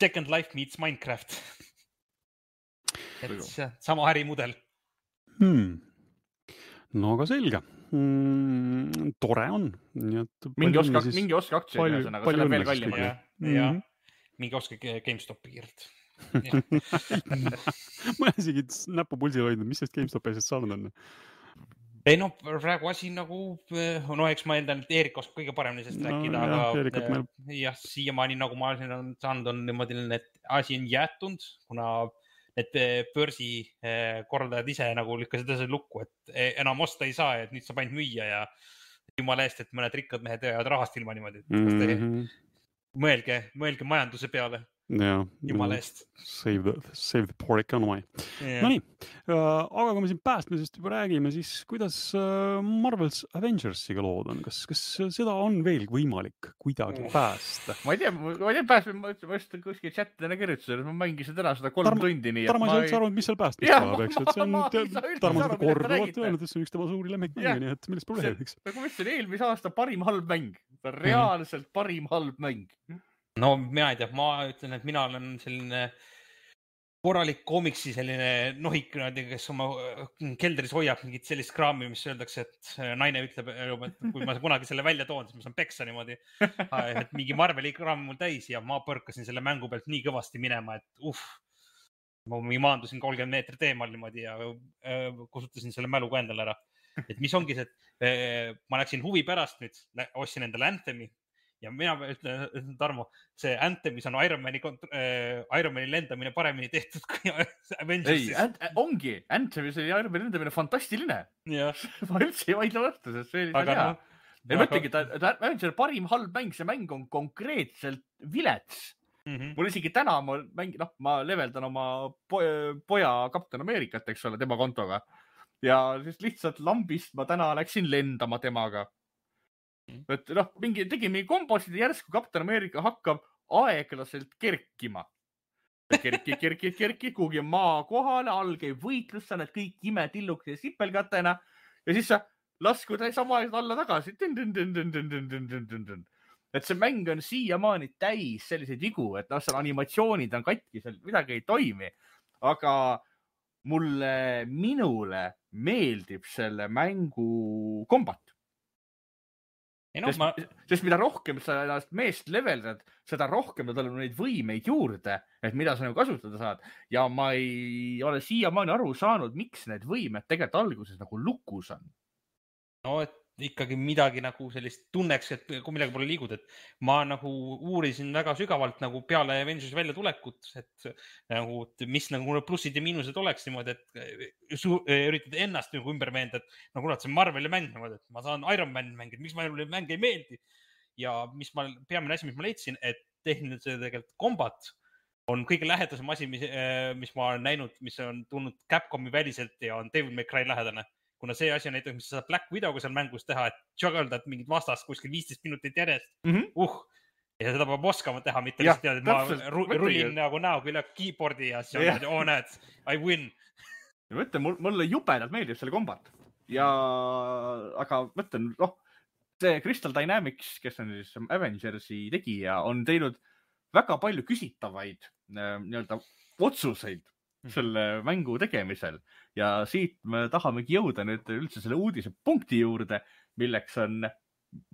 Second Life meets Minecraft. Et sama ärimudel. No aga selge. Tore on. Mingi oska aktsia, aga see on veel kallim. Mingi oska GameStopi kiirelt. Ma isegi näppu pulsil hoidnud, mis sellest GameStopi asjast saanud on? Ei praegu asi nagu, eks ma eeldan, et Eerik oskab kõige paremini sellest rääkida, aga siiamaani nagu ma olen saanud on niimoodi, et asi on jäetunud, kuna need börsi korraldajad ise nagu lükkasid selle lukku, et enam osta ei saa, et nüüd saab ainult müüa ja jumala eest, et mõned rikkad mehed jäävad rahast ilma niimoodi. Mõelge majanduse peale. Jumala eest. Save the poor economy. No nii, aga kui me siin päästmisest juba räägime, siis kuidas Marvel's Avengersiga lood on? Kas seda on veel võimalik kuidagi päästa? Ma ei tea päästmine, ma just kuskil chatidena kirjutasin, et ma mängisin täna seda 3 tundi nii. Tarmo ei üldse arvanud, mis seal päästmist tuleb, eks? Tarmo seda korduvalt öelnud, et see on üks tema suuri lemmikmänge, nii et millest probleemiks? Nagu ma ütlesin, eelmise aasta parim halb mäng. Reaalselt parim halb mäng. No mina ei tea, ma ütlen, et mina olen selline korralik koomiksi selline nohik, kes oma keldris hoiab mingit sellist kraami, mis öeldakse, et naine ütleb, et kui ma kunagi selle välja toon, siis ma saan peksa niimoodi, et mingi Marveli kraam mul täis ja ma põrkasin selle mängu pealt nii kõvasti minema, et ma maandusin 30 meetrit eemal niimoodi ja kusutasin selle mälu ka endale ära. Et mis ongi see, et ma läksin huvi pärast nüüd, ostsin endale Anthemi ja mina ütlen, Tarmo, see Anthemis on Iron Mani lendamine paremini tehtud kui Avengersis. Ei, ongi. Anthemis oli Iron Mani lendamine fantastiline. Ma üldse ei vaidle vastu, sest see oli hea. Ja mõtlegi, et Avengers parim halb mäng, see mäng on konkreetselt vilets. Mul isegi täna ma leveldan oma poja Captain Americat, eks ole, tema kontoga. Ja siis lihtsalt lambist ma täna läksin lendama temaga. Et tegi mingi kombosid ja järsku Captain America hakkab aeglaselt kerkima. Kerki, kuhugi maa kohale, all käib võitlus, sa näed kõik imetillukese sipelgatena ja siis sa laskud sama aeg alla tagasi. Et see mäng on siiamaani täis selliseid vigu, et seal animatsioonid on katki, seal midagi ei toimi. Aga minule meeldib selle mängu kombat. Sest mida rohkem sa ennast meest leveldad, seda rohkem ta tuleb neid võimeid juurde, et mida sa nagu kasutada saad. Ja ma ei ole siiamaani aru saanud, miks need võimed tegelikult alguses nagu lukus on. No, et ikkagi midagi nagu sellist tunneks, et kui midagi pole liigud, et ma nagu uurisin väga sügavalt nagu peale Avengersi välja tulekut, et nagu, mis nagu plussid ja miinused oleks niimoodi, et üritad ennast nagu ümber meenda, et nagu see Marveli mäng, et ma saan Iron Man mängida, miks mulle mäng ei meeldi. Ja peamine asi, mis ma leidsin, et tehniline tegelikult kombat on kõige lähedasem asi, mis ma olen näinud, mis on tulnud Capcomi väliselt ja on Devil May Cry lähedane. Kuna see asi on näiteks, mis sa saad Black Widow'ga seal mängus teha, et juggledad mingid vastast kuskil 15 minutit järjest. Ja seda peab oskama teha, mitte lihtsalt teada, et ma rullin nagu näoga üle keyboardi ja siis on näed, I win. Ja mõtlen, mulle jubedalt meeldib selle kombat. Aga mõtlen, see Crystal Dynamics, kes on siis Avengersi tegija, on teinud väga palju küsitavaid otsuseid selle mängu tegemisel ja siit me tahamegi jõuda nüüd üldse selle uudise punkti juurde, milleks on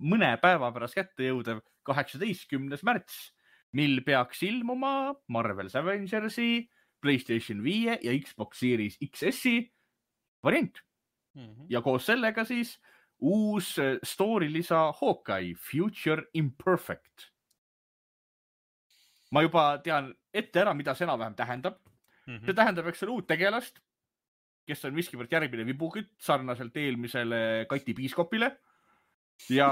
mõne päeva pärast kätte jõudev 18. märts, mil peaks ilmuma Marvel's Avengersi, PlayStation 5 ja Xbox Series XS-i variant. Ja koos sellega siis uus story lisa Hawkeye Future Imperfect. Ma juba tean ette ära, mida see enam-vähem tähendab. See tähendab, eks ole, uut tegelast, kes on miskivõrd järgmine vibukütt sarnaselt eelmisele Kati Piiskopile. Ja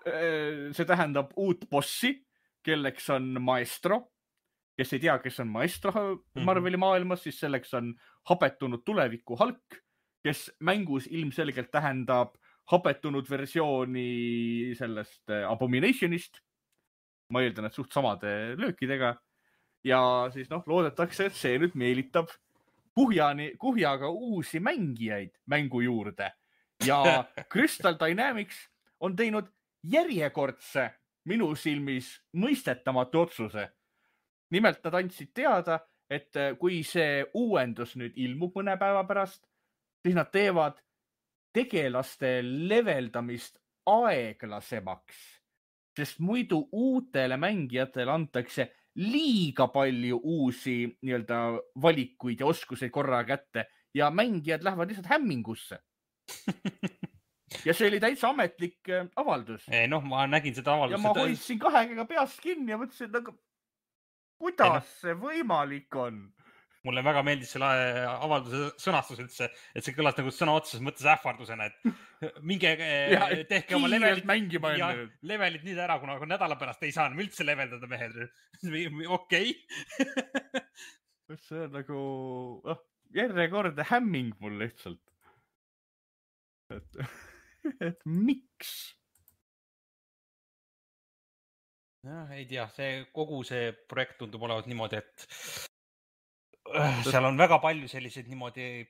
see tähendab uut bossi, kelleks on Maestro. Kes ei tea, kes on Maestro Marveli maailmas, siis selleks on hapetunud tuleviku Hulk, kes mängus ilmselgelt tähendab hapetunud versiooni sellest Abominationist. Ma eeldan, et suht samade löökidega. Ja siis loodetakse, et see nüüd meelitab kuhjaga uusi mängijaid mängu juurde. Ja Crystal Dynamics on teinud järjekordse minu silmis mõistetamatu otsuse. Nimelt nad andsid teada, et kui see uuendus nüüd ilmub mõne päeva pärast, siis nad teevad tegelaste leveldamist aeglasemaks, sest muidu uutele mängijatele antakse liiga palju uusi valikuid ja oskuseid korra kätte ja mängijad lähevad lihtsalt hämmingusse. Ja see oli täitsa ametlik avaldus. Ma nägin seda avaldust. Ja ma hoidsin kahega peast kinni ja mõtlesin, et kuidas see võimalik on? Mulle väga meeldis selle avalduse sõnastus üldse, et see kõlas nagu sõna otseses mõttes ähvardusena, et minge tehke oma levelid nüüd ära, kuna nädala pärast ei saa üldse leveldada mehed. Okei. See on nagu järjekordne hämming mul lihtsalt. Et miks? Ei tea, kogu see projekt tundub olevat niimoodi, et seal on väga palju selliseid niimoodi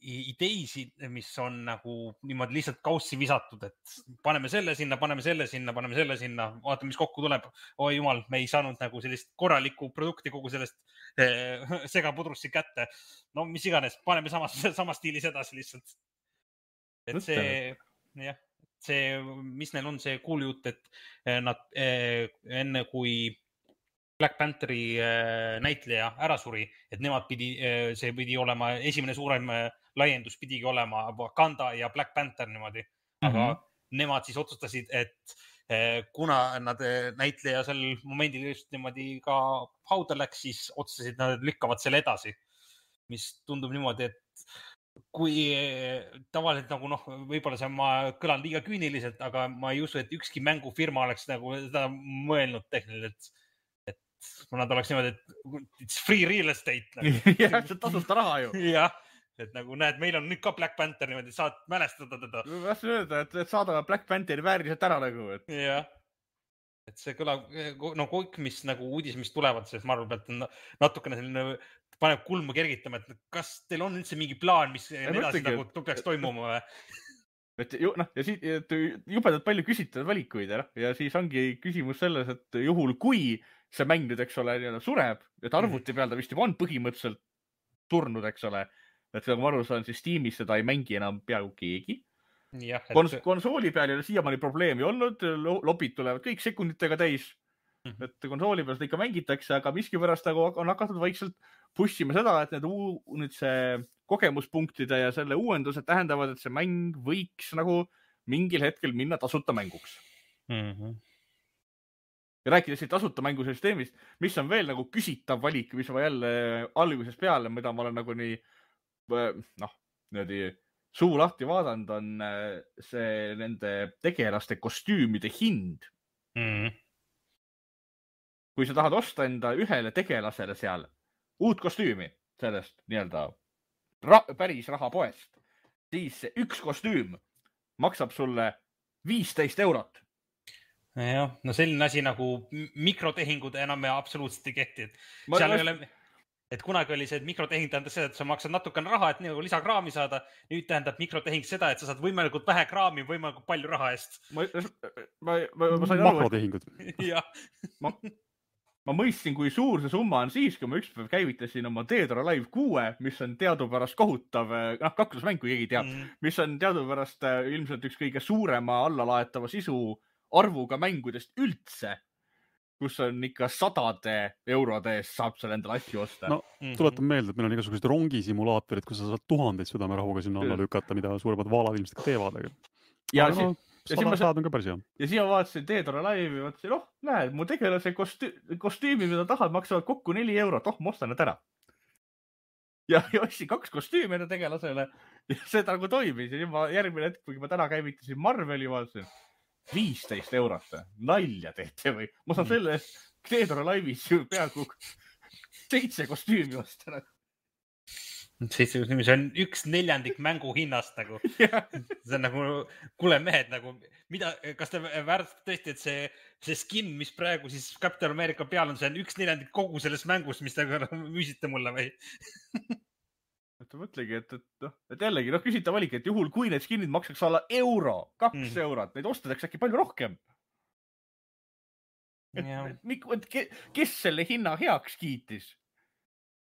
ideisid, mis on nagu niimoodi lihtsalt kaussi visatud, et paneme selle sinna, vaatame, mis kokku tuleb. Oi jumal, me ei saanud nagu sellist korralikku produkti kogu sellest segapudrussi kätte. No mis iganes, paneme sama stiilis edasi lihtsalt. Et see, mis neil on see kuuljutt, et nad enne kui Black Pantheri näitleja ära suri, et see pidi olema esimene suurem laiendus, pidigi olema Wakanda ja Black Panther niimoodi. Aga nemad siis otsustasid, et kuna nad näitleja sel momendil just niimoodi ka hauda läks, siis otsustasid, nad lükkavad selle edasi, mis tundub niimoodi, et kui tavaliselt nagu võib-olla ma kõlan liiga küüniliselt, aga ma ei usu, et ükski mängufirma oleks nagu seda mõelnud tehniliselt. Nad oleks niimoodi, et it's free real estate. Jah, see tasuta raha ju. Jah, et nagu näed, meil on nüüd ka Black Panther niimoodi, saad mälestada teda. Ma tahtsin öelda, et saadame Black Pantheri vääriliselt ära nagu. Jah, et see kõlab, kõik mis nagu uudis, mis tulevad sellest Marvel pealt on natukene selline, paneb kulmu kergitama, et kas teil on üldse mingi plaan, mis edasi nagu peaks toimuma? Ja siit jubedalt palju küsitavad valikuid ja siis ongi küsimus selles, et juhul kui see mäng nüüd, eks ole, sureb, et arvuti peal ta vist juba on põhimõtteliselt surnud, eks ole, et nagu ma aru saan, siis Steamis seda ei mängi enam peaaegu keegi. Konsooli peal ei ole siiamaani probleemi olnud, lobid tulevad kõik sekunditega täis, et konsooli peal seda ikka mängitakse, aga miskipärast nagu on hakatud vaikselt pushima seda, et nüüd see kogemuspunktide ja selle uuendused tähendavad, et see mäng võiks nagu mingil hetkel minna tasuta mänguks. Ja rääkides siin tasuta mängusüsteemist, mis on veel nagu küsitav valik, mis ma jälle algusest peale, mida ma olen nagu nii suu lahti vaadanud, on see nende tegelaste kostüümide hind. Kui sa tahad osta enda ühele tegelasele seal uut kostüümi sellest päris rahapoest, siis see üks kostüüm maksab sulle 15 €. Jah, selline asi nagu mikrotehingud enam absoluutselt ei kehti. Et kunagi oli see, et mikrotehing tähendas seda, et sa maksad natukene raha, et nagu lisakraami saada. Nüüd tähendab mikrotehing seda, et sa saad võimalikult vähe kraami, võimalikult palju raha eest. Ma sain aru, makrotehingud. Ma mõistsin, kui suur see summa on siis, kui ma ükspäev käivitasin oma Dead or Alive 6, mis on teadupärast kohutav, kaklusmäng, kui keegi teab, mis on teadupärast ilmselt üks kõige suurema allalaetava sisu arvuga mängudest üldse. kus on ikka 100 eurode eest saab seal endale asju osta. No, tuletan meelde, et meil on igasugused rongisimulaatorid, kus sa saad 1000 südamerahuga sinna alla lükata, mida suuremad vaalad ilmselt ka teevad. Ja aga no, 100 on ka päris hea. Ja siin ma vaatasin Teedora laivi ja vaatasin, näed, mu tegelase kostüümi, mida tahad, maksavad kokku 4 €. Ma ostan need ära. Ja ostsin 2 kostüümi enda tegelasele ja see nagu toimis. Ja ma järgmine hetk, kui ma täna käivitasin Marveli, vaatasin 15 €. Nalja teete või? Ma saan selle Teedora laivis ju peaaegu 7 kostüümi osta. 7 kostüümi, see on 1/4 mängu hinnast nagu. See on nagu, kuule mehed, nagu, mida, kas te väärtustate tõesti, et see skin, mis praegu siis Captain America peal on, see on 1/4 kogu selles mängus, mis te müüsite mulle või? Mõtlegi, et jällegi, küsitav valik, et juhul, kui need skinid maksaks alla €, 2 €, neid ostadaks äkki palju rohkem. Kes selle hinna heaks kiitis?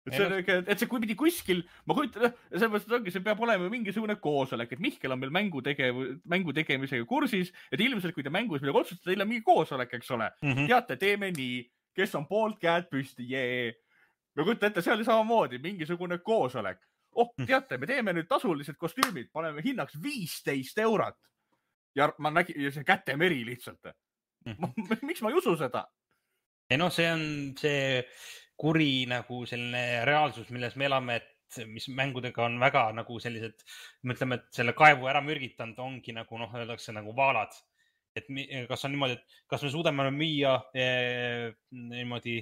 Et see kui pidi kuskil, ma kujutan, sellepärast ongi, see peab olema mingisugune koosolek, et Mihkel on meil mängu tegemisega kursis, et ilmselt, kui te mängus midagi otsustada, teil on mingi koosolek, eks ole. Teate, teeme nii, kes on poolt, käed püsti, ma kujutan ette, see oli samamoodi mingisugune koosolek. Teate, me teeme nüüd tasulised kostüümid, paneme hinnaks 15 €. Ja ma nägin see kätemeri lihtsalt. Miks ma ei usu seda? Ei no, see on see kuri nagu selline reaalsus, milles me elame, et mis mängudega on väga nagu sellised, mõtleme, et selle kaevu ära mürgitanud ongi nagu, öeldakse nagu vaalad. Et kas on niimoodi, et kas me suudame müüa niimoodi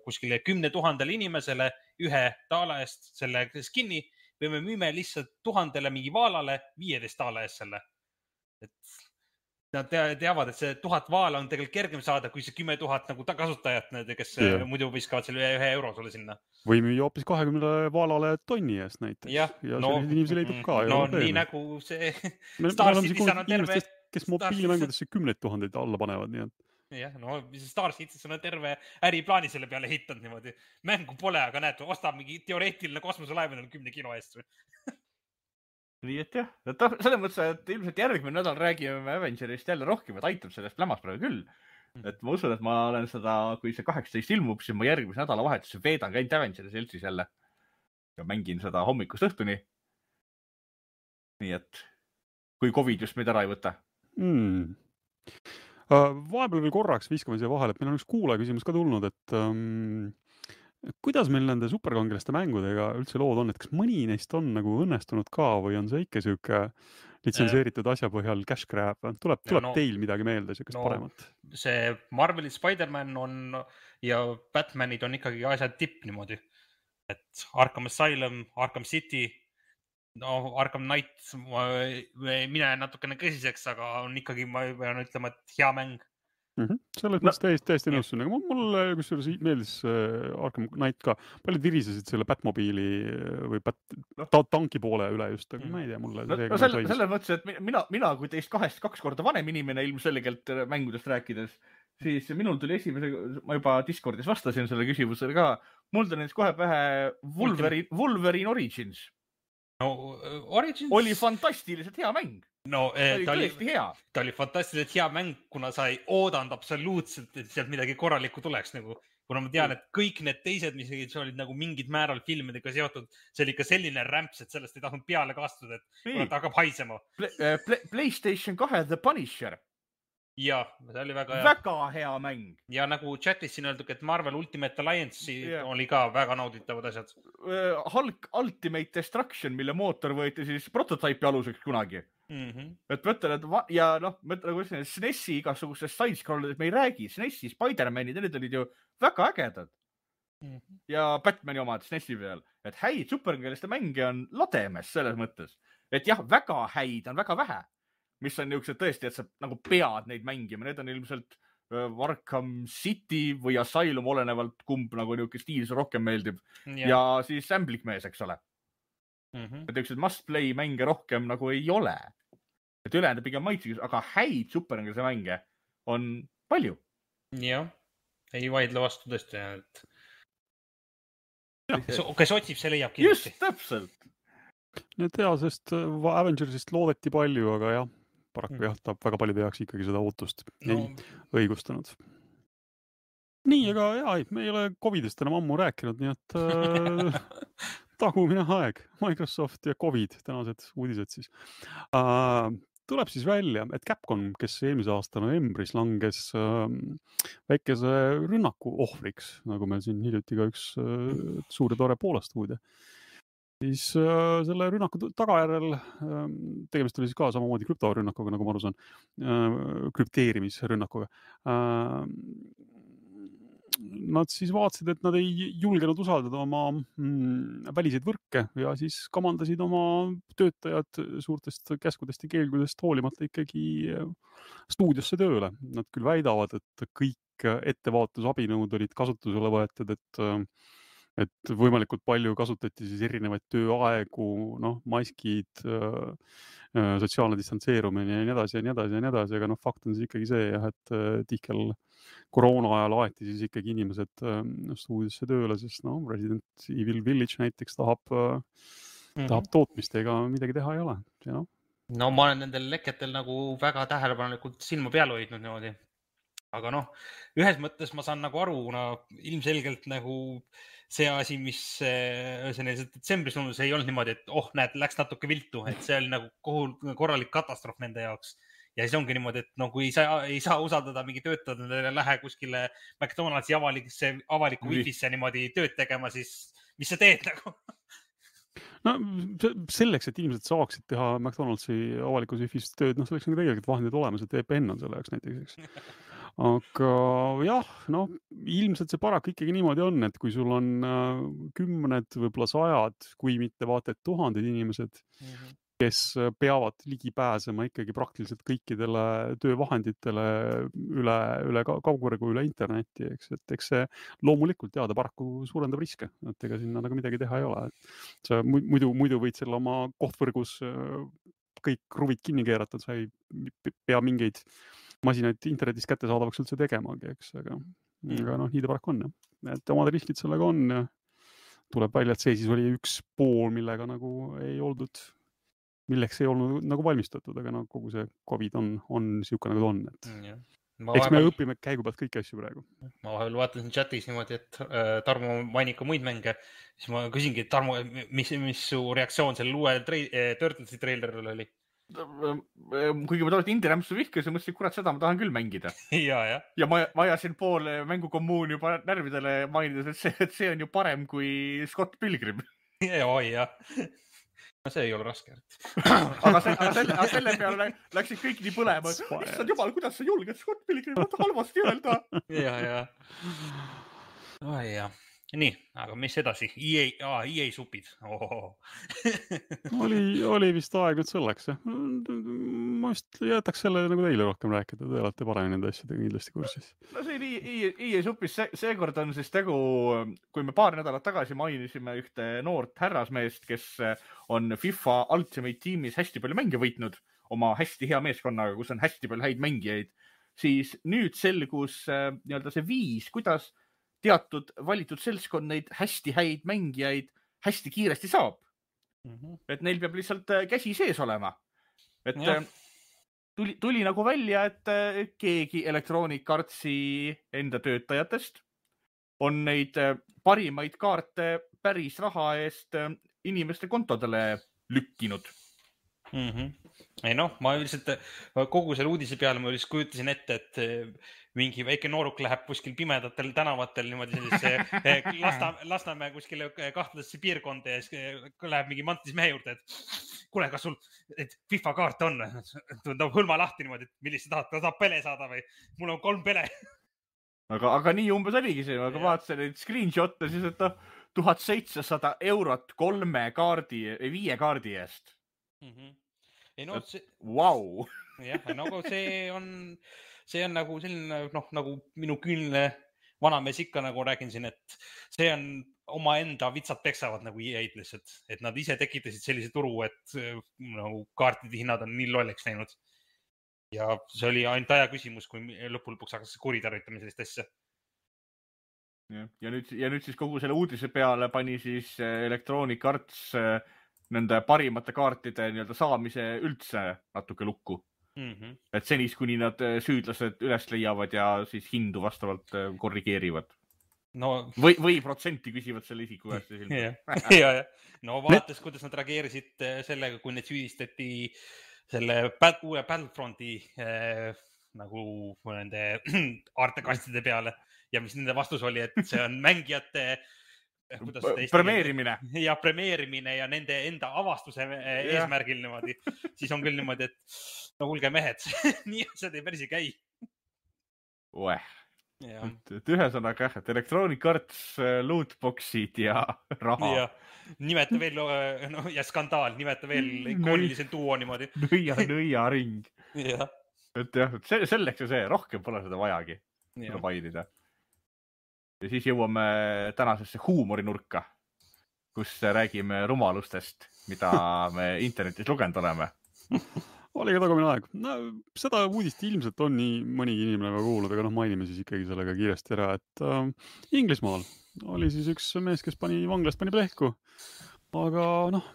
kuskile 10 000 inimesele ühe taala eest selle skin'i või me müüme lihtsalt 1000 mingi vaalale 15 taala eest selle. Et nad teavad, et see 1000 vaala on tegelikult kergem saada, kui see 10 000 nagu kasutajat, kes muidu viskavad selle 1 € sulle sinna. Või müüa hoopis 20 vaalale tonni eest näiteks. Ja selliseid inimesi leidub ka. No nii nagu see Star Citizen on terve. Kes mobiilimängudesse 10 000 alla panevad, nii et. Jah, no Star Citizen on terve äriplaani selle peale hitanud niimoodi. Mängu pole, aga näed, ostab mingi teoreetiline kosmoselaev 10 kilo eest või. Nii et jah, selles mõttes, et ilmselt järgmine nädal räägime Avengerist jälle rohkem, et aitab sellest plämas praegu küll. Et ma usun, et ma olen seda, kui see 18 ilmub, siis ma järgmise nädalavahetuse veedan käinud Avengeri seltsis jälle ja mängin seda hommikust õhtuni. Nii et kui Covid just meid ära ei võta. Vahepeal veel korraks viskame siia vahele, et meil on üks kuulaja küsimus ka tulnud, et kuidas meil nende superkangelaste mängudega üldse lood on, et kas mõni neist on nagu õnnestunud ka või on see ikka siuke litsenseeritud asja põhjal cash grab? Tuleb teil midagi meelde, siukest paremat? See Marveli Spider-Man on ja Batmanid on ikkagi asjad tipp niimoodi. Et Arkham Asylum, Arkham City, Arkham Knight, mine natukene kõsiseks, aga on ikkagi, ma pean ütlema, et hea mäng. Selles mõttes täiesti nõussun. Mulle kusjuures meeldis Arkham Knight ka. Paljud virisesid selle Batmobiili või tanki poole üle just, aga ma ei tea, mulle selles mõttes, et mina kui teist 2 korda vanem inimene ilmselgelt mängudest rääkides, siis minul tuli ma juba Discordis vastasin selle küsimusele ka, mul tuli näiteks kohe pähe Wolverine Origins. Origins oli fantastiliselt hea mäng. Ta oli fantastiliselt hea mäng, kuna sa ei oodanud absoluutselt, et sealt midagi korralikku tuleks. Kuna ma tean, et kõik need teised, mis olid nagu mingid määral filmidega seotud, see oli ikka selline rämps, et sellest ei tahtnud peale kastuda, et ta hakkab haisema. PlayStation 2 The Punisher. Ja, see oli väga hea mäng. Ja nagu chatis siin öeldud, et Marvel Ultimate Alliance oli ka väga nauditavad asjad. Hulk Ultimate Destruction, mille mootor võeti siis prototüüpi aluseks kunagi. Et mõtlen, et ja mõtlen, SNESi igasugusest side-scrollidest me ei räägi. SNESi, Spider-Manid, need olid ju väga ägedad. Ja Batmani omad SNESi peal. Et häid superkangeliste mänge on lademes selles mõttes. Et jah, väga häid on väga vähe. Mis on niisugused tõesti, et sa nagu pead neid mängima. Need on ilmselt Arkham City või Asylum olenevalt kumb nagu niisugune stiil see rohkem meeldib. Ja siis Ämblikmees, eks ole. Et niisugused must-play mänge rohkem nagu ei ole. Et ülejäänud pigem maitsekas, aga häid superkangelise mänge on palju. Jah, ei vaidle vastu tõesti. Kes otsib, see leiab kindlasti. Just, täpselt. Need sest Avengersist loodeti palju, aga jah, paraku jah, ta väga paljude jaoks ikkagi seda ootust ei õigustanud. nii, aga jaa, me ei ole Covidist enam ammu rääkinud, nii et tagumine aeg, Microsoft ja Covid, tänased uudised siis. Tuleb siis välja, et Capcom, kes eelmise aasta novembris langes väikese rünnaku ohvriks, nagu meil siin hiljuti ka üks suur ja tore Poola stuudio, siis selle rünnaku tagajärjel, tegemist oli siis ka samamoodi krüptorünnakuga, nagu ma aru saan, krüpteerimisrünnakuga. Nad siis vaatasid, et nad ei julgenud usaldada oma väliseid võrke ja siis kamandasid oma töötajad suurtest käskudest ja keelgudest hoolimata ikkagi stuudiosse tööle. Nad küll väidavad, et kõik ettevaatusabinõud olid kasutusele võetud, et võimalikult palju kasutati siis erinevaid tööaegu, maskid, sotsiaalne distantseerumine ja nii edasi ja nii edasi ja nii edasi, aga fakt on siis ikkagi see, et tihkel koroona ajal aeti siis ikkagi inimesed stuudiosse tööle, sest Resident Evil Village näiteks tahab tootmist, ega midagi teha ei ole. No ma olen nendel leketel nagu väga tähelepanelikult silma peal hoidnud niimoodi. Aga ühes mõttes ma saan nagu aru, ilmselgelt nagu see asi, mis detsembris tundus, ei olnud niimoodi, et näed, läks natuke viltu, et see oli nagu korralik katastroof nende jaoks. Ja siis ongi niimoodi, et kui ei saa usaldada mingi töötajad, lähe kuskile McDonaldsi avaliku wifi'sse niimoodi tööd tegema, siis mis sa teed nagu? No selleks, et inimesed saaksid teha McDonaldsi avalikus wifi'st tööd, selleks on tegelikult vahendid olemas, et VPN on selle jaoks näiteks, eks. Aga jah, ilmselt see paraku ikkagi niimoodi on, et kui sul on kümned, võib-olla 100, kui mitte vaata et 1000 inimesed, kes peavad ligi pääsema ikkagi praktiliselt kõikidele töövahenditele üle kaugvõrgu, üle internetti, eks, et eks see loomulikult ta paraku suurendab riske, et ega sinna nagu midagi teha ei ole. Sa muidu võid selle oma kohtvõrgus kõik kruvid kinni keerata, sa ei pea mingeid masinaid internetis kättesaadavaks üldse tegemagi, eks, aga nii ta paraku on. Et omad riskid sellega on ja tuleb välja, et see siis oli üks pool, millega nagu milleks ei olnud nagu valmistatud, aga kogu see COVID on siuke nagu ta on. Eks me õpime käigu pealt kõiki asju praegu. Ma vahel vaatasin chatis niimoodi, et Tarmo mainib ka muid mänge, siis ma küsingi, Tarmo, mis su reaktsioon selle uue Turtlesi traileril oli? Kuigi ma tollest Indie-rämpsu vihkasin, mõtlesin, kurat, seda ma tahan küll mängida. Ja ma ajasin pool mängukommuun juba närvidele mainides, et see on ju parem kui Scott Pilgrim. Oi, jah. No see ei ole raske. Aga selle peale läksid kõik nii põlema. Issand jumal, kuidas sa julged Scott Pilgrimit halvasti öelda? Ja. Nii, aga mis edasi? EA supid. Oli vist aeg nüüd selleks. Ma vist jätaks selle nagu teile rohkem rääkida. Te olete paremini nende asjadega kindlasti kursis. No see oli EA supis. Seekord on siis tegu, kui me paar nädalat tagasi mainisime ühte noort härrasmeest, kes on FIFA Ultimate Teamis hästi palju mänge võitnud oma hästi hea meeskonnaga, kus on hästi palju häid mängijaid, siis nüüd selgus nii-öelda see viis, kuidas teatud valitud seltskond neid hästi häid mängijaid hästi kiiresti saab. Et neil peab lihtsalt käsi sees olema. Et tuli nagu välja, et keegi Electronic Artsi enda töötajatest on neid parimaid kaarte päris raha eest inimeste kontodele lükkinud. Ei ma üldiselt kogu selle uudise peale ma üldiselt kujutasin ette, et mingi väike nooruk läheb kuskil pimedatel tänavatel niimoodi sellisesse Lasnamäe kuskile kahtlasesse piirkonda ja siis läheb mingi mantis mehe juurde, et kuule, kas sul FIFA kaart on? Ta hõlma lahti niimoodi, et millist sa tahad, ta tahab pele saada või? Mul on 3 pele. Aga nii umbes oligi see, aga vaatasin neid screenshot'e siis, et 1700 eurot 3 kaardi, 5 kaardi eest. Vau! Jah, see on nagu selline, nagu minu küünle vanamees ikka nagu räägin siin, et see on omaenda vitsad peksavad nagu EA-d lihtsalt, et nad ise tekitasid sellise turu, et nagu kaartide hinnad on nii lolleks läinud. Ja see oli ainult aja küsimus, kui lõpuks hakkas kuritarvitama sellist asja. Ja nüüd siis kogu selle uudise peale pani siis Electronic Arts nende parimate kaartide nii-öelda saamise üldse natuke lukku. Et senis, kuni nad süüdlased üles leiavad ja siis hindu vastavalt korrigeerivad. No, või protsenti küsivad selle isiku käest. ja. No vaadates, kuidas nad reageerisid sellega, kui neid süüdistati selle uue Battlefronti nagu nende artekastide peale ja mis nende vastus oli, et see on mängijate premeerimine ja nende enda avastuse eesmärgil niimoodi. Siis on küll niimoodi, et no kuulge mehed, nii asjad ei päris ei käi. Et ühesõnaga, et Electronic Arts, lootboxid ja raha. Ja nimeta veel, ja skandaal, nimeta veel ikoonilise duo niimoodi. Nõia ring. Et jah, selleks ja see, rohkem pole seda vajagi. Seda mainida. Ja siis jõuame tänasesse huumorinurka, kus räägime rumalustest, mida me internetis lugenud oleme. Oli ka tagumine aeg. No, seda uudist ilmselt on nii mõnigi inimene kuulnud, aga mainime siis ikkagi sellega kiiresti ära, et Inglismaal oli siis üks mees, kes vanglast pani plehku. Aga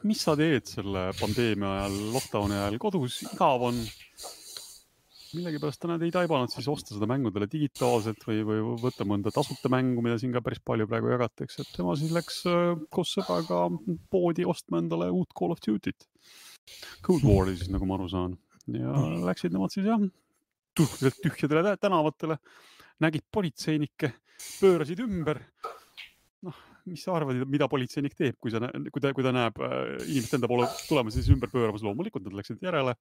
mis sa teed selle pandeemia ajal, lockdowni ajal kodus, igav on. Millegipärast nad ei taibanud siis osta seda mängudele digitaalselt või võtta mõnda tasuta mängu, mida siin ka päris palju praegu jagatakse. Et tema siis läks koos sõbraga poodi ostma endale uut Call of Duty't. Cold War'i siis, nagu ma aru saan. Ja läksid nemad siis tühjadele tänavatele, nägid politseinikke, pöörasid ümber. Mis sa arvad, mida politseinik teeb, kui ta näeb inimest enda poole tulemas, siis ümber pööramas loomulikult, nad läksid järele.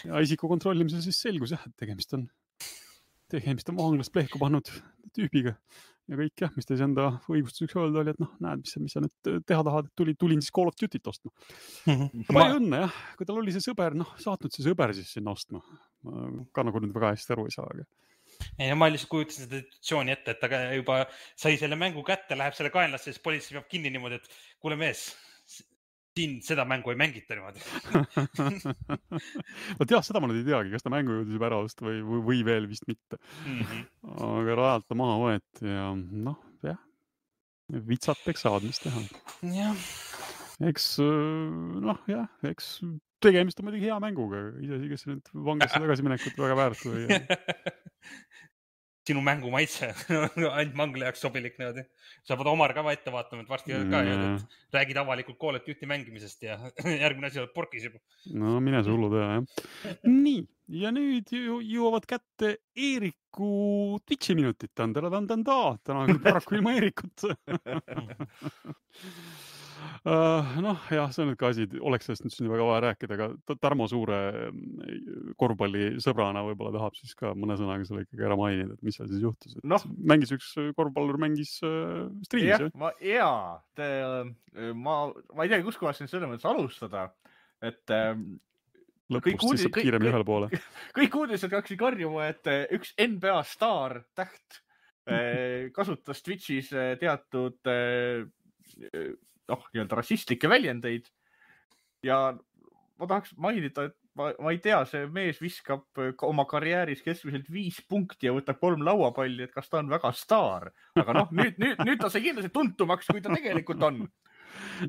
Ja isiku kontrollimisel siis selgus, et tegemist on vanglast plehku pannud tüübiga. Ja kõik, mis teis enda õigustuseks öelda oli, et näed, mis sa nüüd teha tahad, et tulin siis Call of Duty't ostma. Palju õnne, jah. Kui tal oli see sõber, saatnud see sõber siis sinna ostma. Ka nagu nüüd väga hästi aru ei saa. Ja ma lihtsalt kujutasin seda situatsiooni ette, et ta juba sai selle mängu kätte, läheb selle kaenlasse, siis politsei peab kinni niimoodi, et kuule mees, siin seda mängu ei mängita niimoodi. Vot jah, seda ma nüüd ei teagi, kas ta mängu jõudis juba ära osta või veel vist mitte. Aga rajalt ta maha võeti ja jah, vitsad peksavad, mis teha. Eks tegemist on muidugi hea mänguga, isegi kes nüüd vanglasse tagasi minekut väga väärt või. Sinu mängu maitse, ainult mangla jaoks sobilik niimoodi. Sa pead Omar ka ette vaatama, et varsti ka räägid avalikult Call of Duty mängimisest ja järgmine asi oled porkis juba. No mine see hullu teha, jah. Nii, ja nüüd jõuavad kätte Eeriku Twitchi minutit. Täna on paraku ilma Eerikut. Jah, see on nüüd ka asi, oleks sellest nüüd siin väga vaja rääkida, aga Tarmo Suure korvpallisõbrana võib-olla tahab siis ka mõne sõnaga selle ikkagi ära mainida, et mis seal siis juhtus. Mängis üks korvpallur, mängis striimis. Ma ei tea, kus kohas siin selles mõttes alustada, et lõpust siis saab kiiremini ühele poole. Kõik uudised hakkasid karjuma, et üks NBA staar täht kasutas Twitchis teatud nii-öelda rassistlikke väljendeid ja ma tahaks mainida, et ma ei tea, see mees viskab oma karjääris keskmiselt 5 punkti ja võtab 3 lauapalli, et kas ta on väga staar, aga nüüd ta sai kindlasti tuntumaks, kui ta tegelikult on.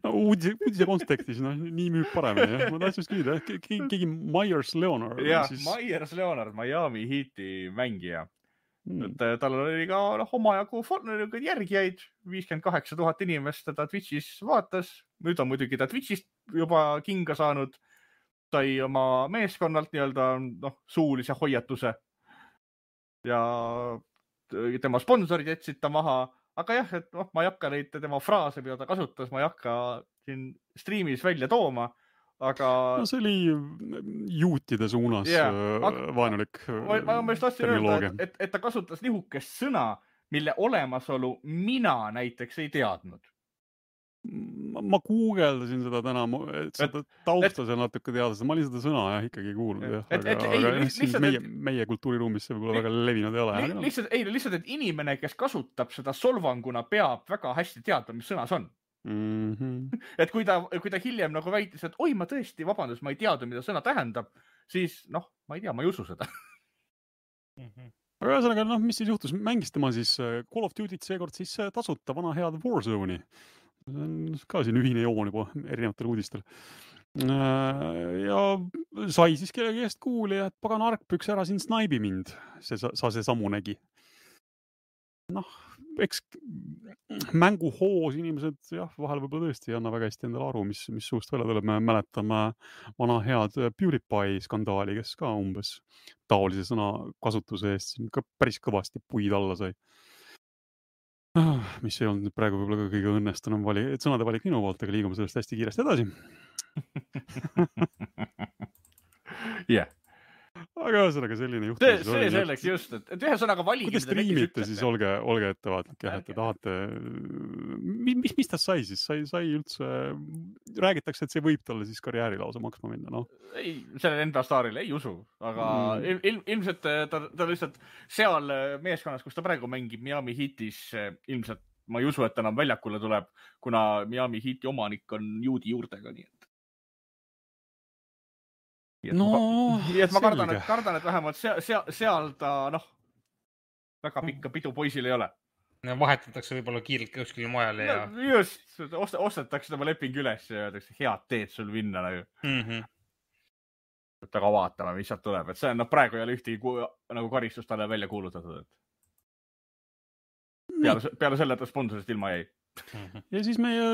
Uudise kontekstis, nii müüb paremini. Ma tahtsin küsida, keegi Myers Leonard. Myers Leonard, Miami Heati mängija. Tal oli ka omajagu järgijaid, 58 000 inimest teda Twitchis vaatas. Nüüd on muidugi ta Twitchist juba kinga saanud. Sai oma meeskonnalt nii-öelda suulise hoiatuse. Ja tema sponsorid jätsid ta maha. Aga jah, et ma ei hakka neid tema fraase, mida ta kasutas, ma ei hakka siin striimis välja tooma. Aga see oli juutide suunas vaenulik terminoloogia. Et ta kasutas nihukest sõna, mille olemasolu mina näiteks ei teadnud. Ma guugeldasin seda täna, et seda tausta seal natuke teada, ma olin seda sõna ikkagi kuulnud. Aga meie kultuuriruumis see võib-olla väga levinud ei ole. Lihtsalt, et inimene, kes kasutab seda solvanguna, peab väga hästi teadma, mis sõna see on. Et kui ta hiljem nagu väitis, et oi, ma tõesti, vabandust, ma ei teadnud, mida sõna tähendab, siis ma ei tea, ma ei usu seda. Aga ühesõnaga, mis siis juhtus? Mängis tema siis Call of Duty't seekord siis tasuta vana head Warzone'i. See on ka siin ühine joon juba erinevatel uudistel. Ja sai siis kellegi eest kuuli, et pagan argpüks ära siin snaibi mind. Sa see samu nägi. Noh, eks mänguhoos inimesed vahel võib-olla tõesti ei anna väga hästi endale aru, mis suust välja tuleb. Me mäletame vana head PewDiePie skandaali, kes ka umbes taolise sõna kasutuse eest siin ka päris kõvasti puid alla sai. Mis ei olnud praegu võib-olla ka kõige õnnestunum sõnade valik minu poolt, aga liigume sellest hästi kiiresti edasi. Jah. Aga ühesõnaga selline juhtum. See selleks just, et ühesõnaga valigi. Kui te striimite, siis olge ettevaatlik, et te tahate... Mis ta sai siis? Sai üldse... Räägitakse, et see võib talle siis karjääri lausa maksma minna, noh? Ei, sellele enda staaril ei usu, aga ilmselt ta lihtsalt seal meeskonnas, kus ta praegu mängib Miami Heatis, ilmselt ma ei usu, et ta enam väljakule tuleb, kuna Miami Heati omanik on juudi juurtega, nii et. Nii et ma kardan, et vähemalt seal ta, väga pikka pidu poisil ei ole. Vahetatakse võib-olla kiirelt kuskile mujale ja... Just, ostetakse tema leping üles ja öeldakse, head teed sul minna nagu. Aga vaatame, mis sealt tuleb. Et see on, praegu ei ole ühtegi nagu karistust talle välja kuulutatud. Peale selle, et ta sponsorist ilma jäi. Ja siis meie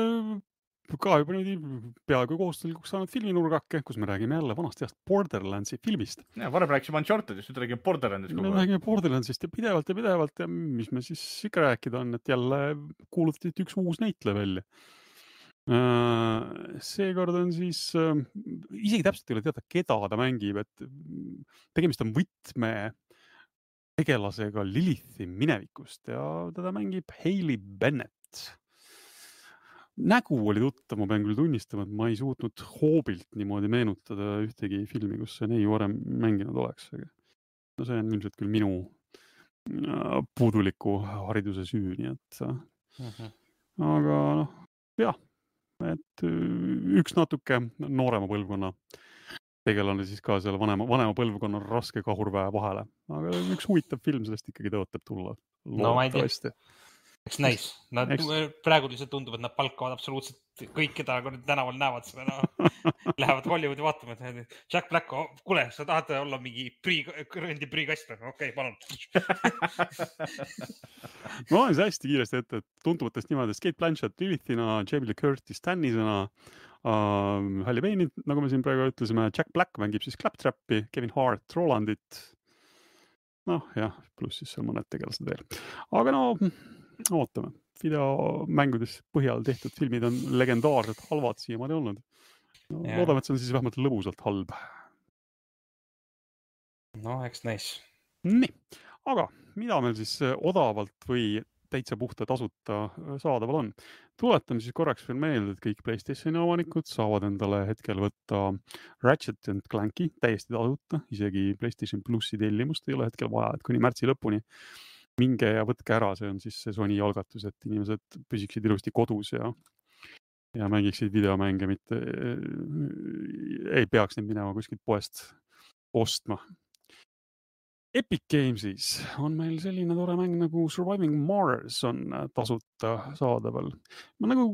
ka juba peaaegu kohustuslikult saanud filminurgake, kus me räägime jälle vanast heast Borderlandsi filmist. Ja, varem rääkisime Unchartedist, nüüd räägime Borderlandsist. Me räägime Borderlandsist ja pidevalt ja mis me siis ikka rääkida on, et jälle kuulutati üks uus näitleja välja. Seekord on siis, isegi täpselt ei ole teada, keda ta mängib, et tegemist on võtme tegelasega Lilithi minevikust ja teda mängib Hayley Bennett. Nägu oli tuttav, ma pean küll tunnistama, et ma ei suutnud hoobilt niimoodi meenutada ühtegi filmi, kus see nii varem mänginud oleks. No see on ilmselt küll minu puuduliku hariduse süü, nii et aga jah, et üks natuke noorema põlvkonna tegelane siis ka selle vanema põlvkonna raske kahurväe vahele. Aga üks huvitav film sellest ikkagi tõotab tulla. No ma ei tea. Eks näis. Praegu lihtsalt tundub, et nad palkavad absoluutselt kõik, keda tänaval näevad seda. Lähevad Hollywoodi vaatama, et Jack Black, kuule, sa tahad olla mingi rõndi prüükast? Okei, palun. Ma olen see hästi kiiresti ette, et tuntuvatest niimoodi Kate Blanchett Lilithina, Jamie Lee Curtis Tannisena, Halle Bailey, nagu me siin praegu ütlesime, Jack Black mängib siis Claptrappi, Kevin Hart Rolandit. Pluss siis seal mõned tegelased veel. Aga ootame. Videomängudes põhjal tehtud filmid on legendaarselt halvad siiamaani olnud. Loodame, et see on siis vähemalt lõbusalt halb. Eks näis. Nii, aga mida meil siis odavalt või täitsa puhta tasuta saadaval on? Tuletame siis korraks veel meelde, et kõik PlayStationi omanikud saavad endale hetkel võtta Ratchet & Clanki täiesti tasuta, isegi PlayStation Plussi tellimust ei ole hetkel vaja, et kuni märtsi lõpuni minge ja võtke ära, see on siis see Sony algatus, et inimesed püsiksid ilusti kodus ja mängiksid videomänge, mitte ei peaks neid minema kuskilt poest ostma. Epic Gamesis on meil selline tore mäng nagu Surviving Mars on tasuta saadaval. Ma nagu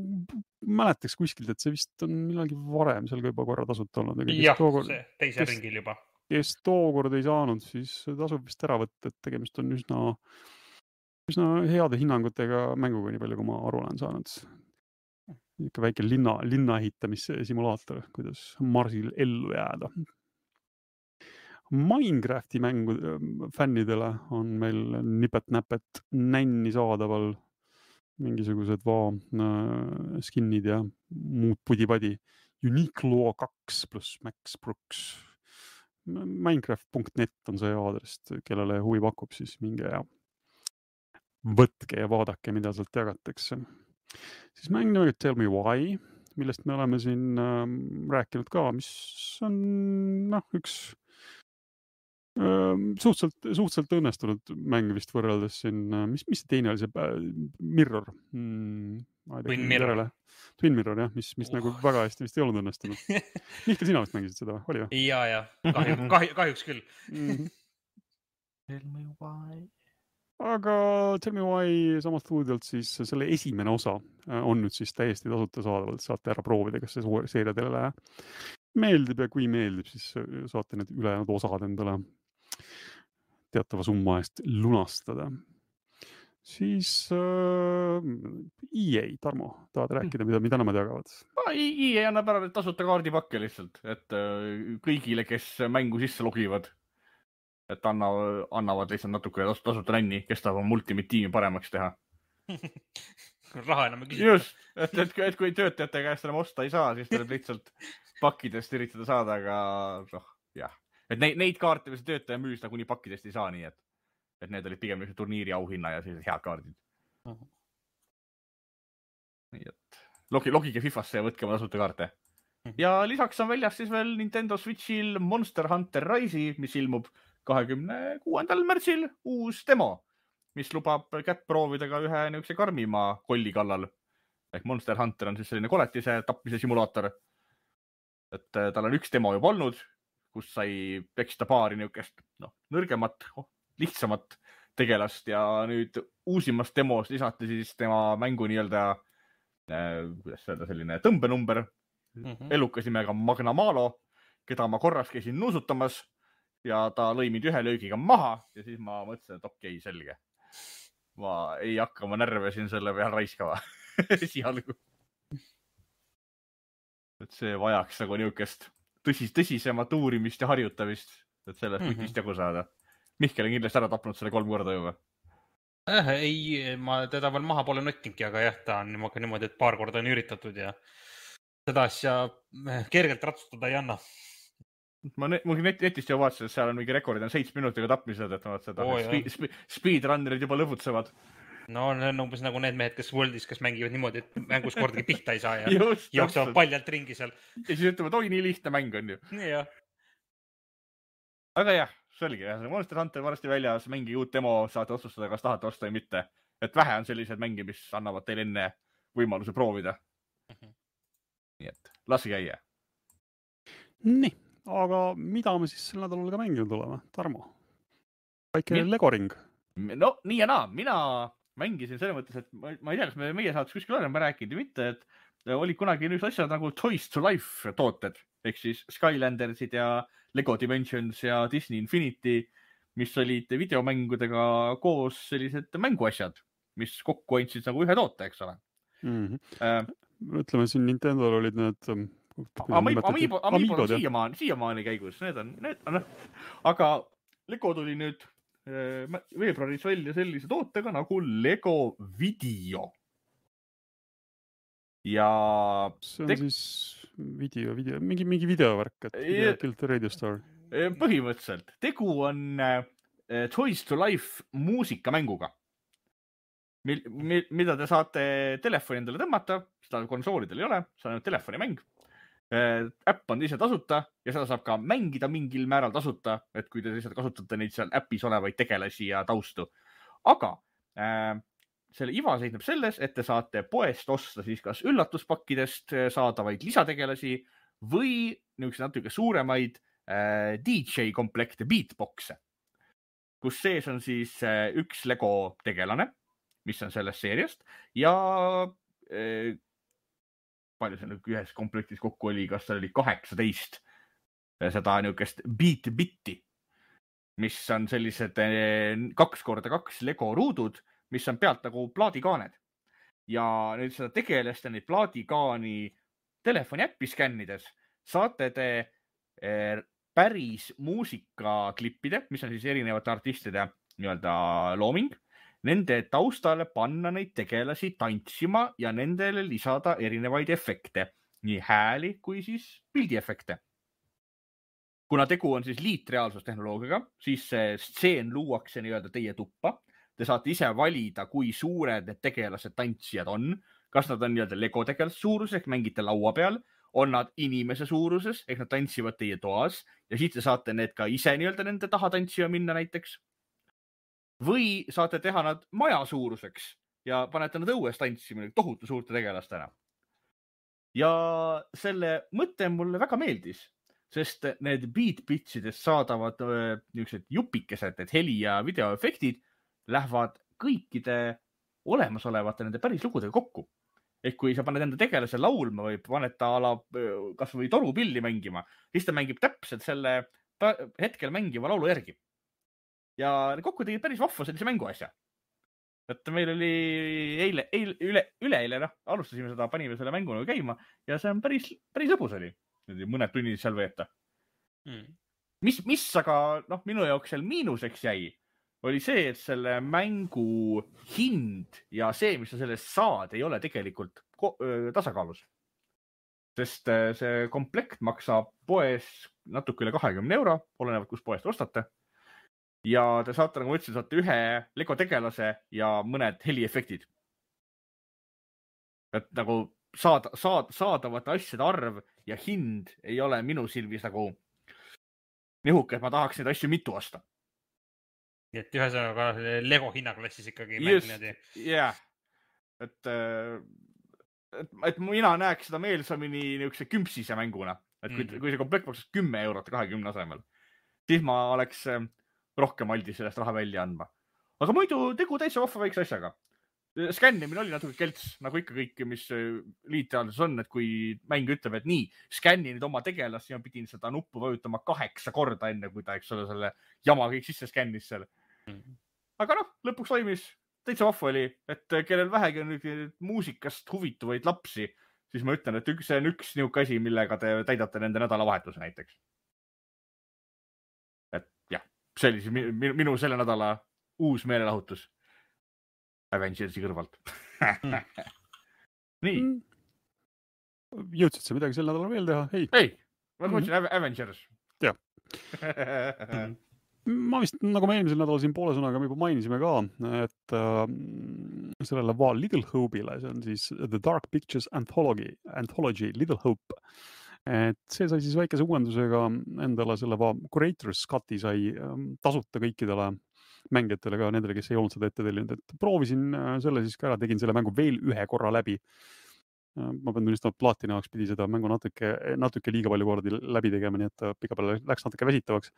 mäletaks kuskilt, et see vist on millalgi varem seal ka juba korra tasuta olnud. Jah, see teise ringil juba. Kes tookord ei saanud, siis tasub vist ära võtta, et tegemist on üsna heade hinnangutega mänguga, nii palju kui ma aru olen saanud. Ikka väike linna ehitamissimulaator, kuidas Marsil ellu jääda. Minecrafti mängu fännidele on meil nipet-näpet nänni saadaval mingisugused skinnid ja muud pudi-padi. Uniqlo 2 plus Max Brooks. Minecraft.net on see aadress, kellele huvi pakub, siis minge ja võtke ja vaadake, mida sealt jagatakse. Siis mäng nimega Tell Me Why, millest me oleme siin rääkinud ka, mis on üks suhteliselt õnnestunud mäng vist võrreldes siin, mis teine oli see Mirror? Twin Mirror, jah, mis nagu väga hästi vist ei olnud õnnestunud. Mihkel, sina vist mängisid seda, oli või? Ja, kahjuks küll. Tell Me Why. Aga Tell Me Why samast stuudiolt siis selle esimene osa on nüüd siis täiesti tasuta saadavalt, saate ära proovida, kas see seeria teile läheb. meeldib ja kui meeldib, siis saate need ülejäänud osad endale teatava summa eest lunastada. Siis EA, Tarmo, tahad rääkida, mida nemad jagavad? EA annab ära tasuta kaardipakke lihtsalt, et kõigile, kes mängu sisse logivad, et annavad lihtsalt natuke tasuta nänni, kes tahab Ultimate tiimi paremaks teha. Raha enam ei küsita. Just, et kui töötajate käest enam osta ei saa, siis tuleb lihtsalt pakkidest üritada saada, aga jah. Et neid kaarte, mis töötaja müüs, kuni pakkidest ei saa, nii et need olid pigem turniiri auhinna ja sellised head kaardid. Nii et logige FIFAsse ja võtke oma tasuta kaarte. Ja lisaks on väljas siis veel Nintendo Switchil Monster Hunter Rise'i, mis ilmub 26. märtsil uus demo, mis lubab kätt proovida ka ühe niisuguse karmima kolli kallal. Ehk Monster Hunter on siis selline koletise tapmise simulaator. Et tal on üks demo juba olnud, kus sai peksta paari niisugust nõrgemat, lihtsamat tegelast ja nüüd uusimas demos lisati siis tema mängu nii-öelda, kuidas öelda, selline tõmbenumber, elukas nimega Magna Malo, keda ma korras käisin nuusutamas ja ta lõi mind ühe löögiga maha ja siis ma mõtlesin, et okei, selge. Ma ei hakka oma närve siin selle peal raiskava esialgu. Et see vajaks nagu niisugust tõsisemat uurimist ja harjutamist, et sellest putist jagu saada. Mihkel on kindlasti ära tapnud selle 3 korda juba. Ei, ma teda veel maha pole nottingi, aga jah, ta on niimoodi, et paar korda on üritatud ja seda asja kergelt ratsutada ei anna. Ma netist ju vaatasin, et seal on mingi rekordid on 7 minutiga tapmised, et ma vaatasin, et speedrunnerid juba lõbutsevad. No need on umbes nagu need mehed, kes Worldis, kes mängivad niimoodi, et mängus kordagi pihta ei saa ja Just, jooksevad paljalt ringi seal. Ja siis ütleme, et oi, nii lihtne mäng on ju. Nii jah. Aga jah, selge. Monster Hunter varsti väljas, mängi uut demo, saate otsustada, kas tahate osta või mitte. Et vähe on sellised mängi, mis annavad teile enne võimaluse proovida. Nii et lasi käia. Nii, aga mida me siis sel nädalal ka mänginud oleme? Tarmo, väike Legoring. No nii ja naa, mina mängisin selle mõttes, et ma ei tea, kas meie saates kuskil oleme rääkinud või mitte, et olid kunagi nüüd asjad nagu Toys to Life tooted, ehk siis Skylandersid ja Lego Dimensions ja Disney Infinity, mis olid videomängudega koos sellised mänguasjad, mis kokku andsid nagu ühe toote, eks ole. Ütleme, siin Nintendo'l olid need Amiibod siiamaani käigus, need on, aga Lego tuli nüüd veebruaris välja sellise tootega nagu Lego Video. Ja see on siis video, mingi videovärk, et Kill the Radio Star. Põhimõtteliselt. Tegu on Toys to Life muusikamänguga, mida te saate telefoni endale tõmmata, seda konsoolidel ei ole, see on telefonimäng. Äpp on ise tasuta ja seda saab ka mängida mingil määral tasuta, et kui te lihtsalt kasutate neid seal äppis olevaid tegelasi ja taustu. Aga selle iva seisneb selles, et te saate poest osta siis kas üllatuspakkidest saadavaid lisategelasi või niisugused natuke suuremaid DJ-komplekte, beatboxe, kus sees on siis üks Lego tegelane, mis on sellest seeriast ja palju see ühes komplektis kokku oli, kas seal oli 18 seda niisugust beat-bitti, mis on sellised 2x2 Lego ruudud, mis on pealt nagu plaadikaaned. Ja nüüd seda tegelast ja neid plaadikaani telefoni äppi skännides saate te päris muusikaklippide, mis on siis erinevate artistide nii-öelda looming, nende taustale panna neid tegelasi tantsima ja nendele lisada erinevaid efekte, nii hääli kui siis pildiefekte. Kuna tegu on siis liitreaalsustehnoloogiaga, siis see stseen luuakse nii-öelda teie tuppa. Te saate ise valida, kui suured need tegelased tantsijad on. Kas nad on nii-öelda Lego tegelase suuruses, ehk mängite laua peal, on nad inimese suuruses, ehk nad tantsivad teie toas ja siis te saate need ka ise nii-öelda nende taha tantsima minna näiteks. Või saate teha nad maja suuruseks ja panete nad õues tantsima tohutu suurte tegelastena. Ja selle mõte mulle väga meeldis, sest need beat-bitsidest saadavad niisugused jupikesed, need heli- ja videoefektid lähevad kõikide olemasolevate nende päris lugudega kokku. ehk kui sa paned enda tegelase laulma või paned ta kas või torupilli mängima, siis ta mängib täpselt selle hetkel mängiva laulu järgi. Ja kokku tegid päris vahva sellise mänguasja. Et meil oli üleeile, alustasime seda, panime selle mängu käima ja see on päris lõbus oli. Mõned tunnid seal veeta. Mis aga minu jaoks seal miinuseks jäi, oli see, et selle mängu hind ja see, mis sa sellest saad, ei ole tegelikult tasakaalus. Sest see komplekt maksab poes natuke üle 20 €, olenevalt kus poest ostate. Ja te saate, nagu ma ütlesin, saate ühe Lego tegelase ja mõned heliefektid. Et nagu saadavate asjade arv ja hind ei ole minu silmis nagu nihuke, et ma tahaks neid asju mitu osta. Nii et ühesõnaga Lego hinnaklassis ikkagi Just, mäng niimoodi. Yeah. Et mina näeks seda meelsamini niisuguse kümpsise mänguna. Et kui see komplekt maksaks 10 € 20 asemel, siis ma oleks rohkem aldis sellest raha välja andma. Aga muidu tegu täitsa vahva väikse asjaga. Skännimine oli natuke kelts, nagu ikka kõik, mis liitteaduses on, et kui mäng ütleb, et nii, skänni nüüd oma tegelast, siis ma pidin seda nuppu vajutama 8 korda enne, kui ta, eks ole, selle jama kõik sisse skännis seal. Aga lõpuks toimis, täitsa vahva oli, et kellel vähegi on muusikast huvituvaid lapsi, siis ma ütlen, et see on üks niuke asi, millega te täidate nende nädalavahetuse näiteks. Et jah, see oli siis minu selle nädala uus meelelahutus Avengersi kõrvalt. Nii. Jõudsid sa midagi sel nädalal veel teha? Ei, ma mõtlesin Avengers. Jah. Ma vist, nagu me eelmisel nädalal siin poole sõnaga me juba mainisime ka, et sellele Little Hope'ile, see on siis The Dark Pictures Anthology Little Hope. Et see sai siis väikese uuendusega endale selle Curator's Cut'i sai tasuta kõikidele mängijatele ka, nendele, kes ei olnud seda ette tellinud, et proovisin selle siis ka ära, tegin selle mängu veel ühe korra läbi. Ma pean tunnistama, et Platina jaoks pidi seda mängu natuke liiga palju kordi läbi tegema, nii et pika peale läks natuke väsitavaks.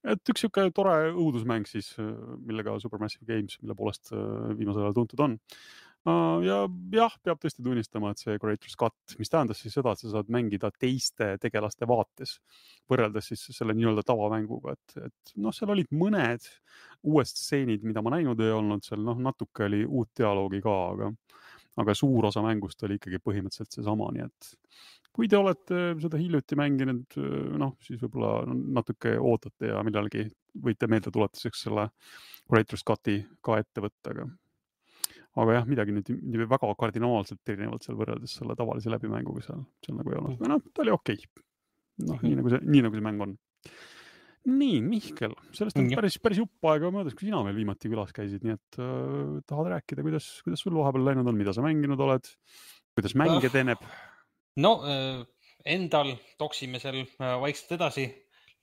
Et üks siuke tore õudusmäng siis, millega Supermassive Games, mille poolest viimasel ajal tuntud on. Ja jah, peab tõesti tunnistama, et see Curator's Cut, mis tähendas siis seda, et sa saad mängida teiste tegelaste vaates, võrreldes siis selle nii-öelda tavamänguga, et seal olid mõned uued stseenid, mida ma näinud ei olnud, seal natuke oli uut dialoogi ka, aga suur osa mängust oli ikkagi põhimõtteliselt seesama, nii et kui te olete seda hiljuti mänginud, siis võib-olla natuke ootate ja millalgi võite meelde tuletuseks selle Curator's Cut'i ka ette võtta, aga jah, midagi nüüd väga kardinaalselt erinevalt seal võrreldes selle tavalise läbimänguga seal nagu ei olnud. Aga ta oli okei. Nii nagu see mäng on. Nii, Mihkel, sellest on päris jupp aega möödas, kui sina veel viimati külas käisid, nii et tahad rääkida, kuidas sul vahepeal läinud on, mida sa mänginud oled, kuidas mäng edeneb? Endal toksime seal vaikselt edasi.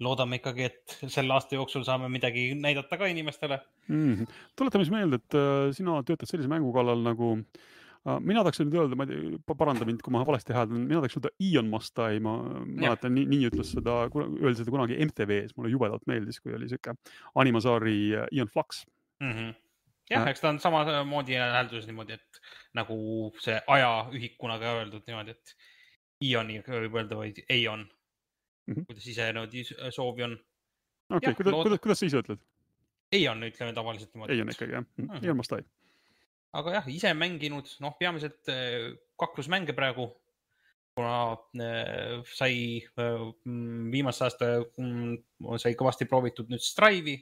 Loodame ikkagi, et selle aasta jooksul saame midagi näidata ka inimestele. Tuletame siis meelde, et sina töötad sellise mängu kallal nagu, mina tahaks nüüd öelda, ma ei tea, paranda mind, kui ma valesti hääldan, mina tahaks öelda Ion Must Die, ma mäletan, nii ütles seda, öeldi seda kunagi MTV-s, mulle jubedalt meeldis, kui oli siuke animasaari Ion Flux. Jah, eks ta on samamoodi hääldus niimoodi, et nagu see ajaühik kunagi öeldud niimoodi, et Ioni võib öelda või Eion. Kuidas ise soovi on. Okei, kuidas sa ise ütled? Eion ütleme tavaliselt niimoodi. Eion ikkagi, jah. Ion Must Die. Aga jah, ise mänginud, peamiselt kaklusmänge praegu, kuna sai viimast aasta sai kõvasti proovitud nüüd Strive'i,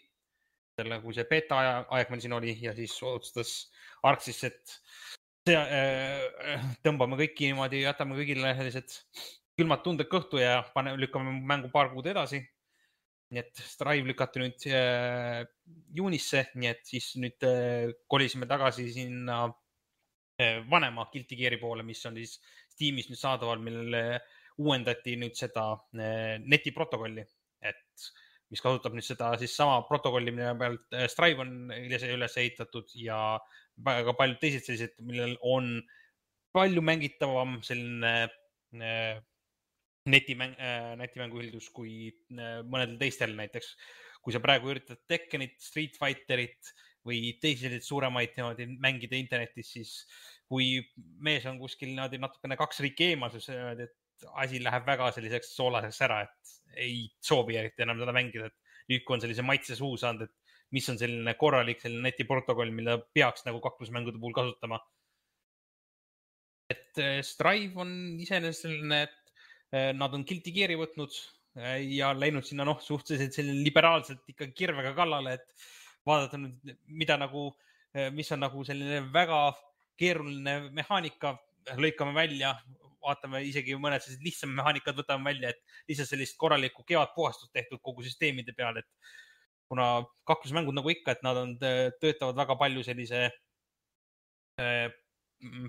kui see beta aeg meil siin oli ja siis otsustas Arxis, et tõmbame kõiki niimoodi, jätame kõigile sellised külmad tunded kõhtu ja lükkame mängu paar kuud edasi. Nii et Strive lükati nüüd juunisse, nii et siis nüüd kolisime tagasi sinna vanema Guilty Gear'i poole, mis on siis Steamis nüüd saadaval, millele uuendati nüüd seda netiprotokolli, et mis kasutab nüüd seda siis sama protokolli, mille pealt Strive on üles ehitatud ja väga paljud teised sellised, millel on palju mängitavam selline netimänguhildus kui mõnedel teistel näiteks. Kui sa praegu üritad Tekkenit, Street Fighterit või teisi selliseid suuremaid niimoodi mängida internetis, siis kui mees on kuskil natukene 2 riiki eemal, siis et asi läheb väga selliseks soolaseks ära, et ei soovi eriti enam seda mängida. Et nüüd, kui on sellise maitse suu saanud, et mis on selline korralik selline netiprotokoll, mida peaks nagu kaklusmängude puhul kasutama. Et Strive on iseenesest selline, et nad on Guilty Gear'i võtnud ja läinud sinna suhteliselt selline liberaalselt ikka kirvega kallale, et vaadata nüüd, mis on nagu selline väga keeruline mehaanika, lõikame välja, vaatame isegi mõned sellised lihtsam mehaanikad võtame välja, et lihtsalt sellist korralikku kevadpuhastust tehtud kogu süsteemide peal, et kuna kaklusmängud nagu ikka, et nad töötavad väga palju sellise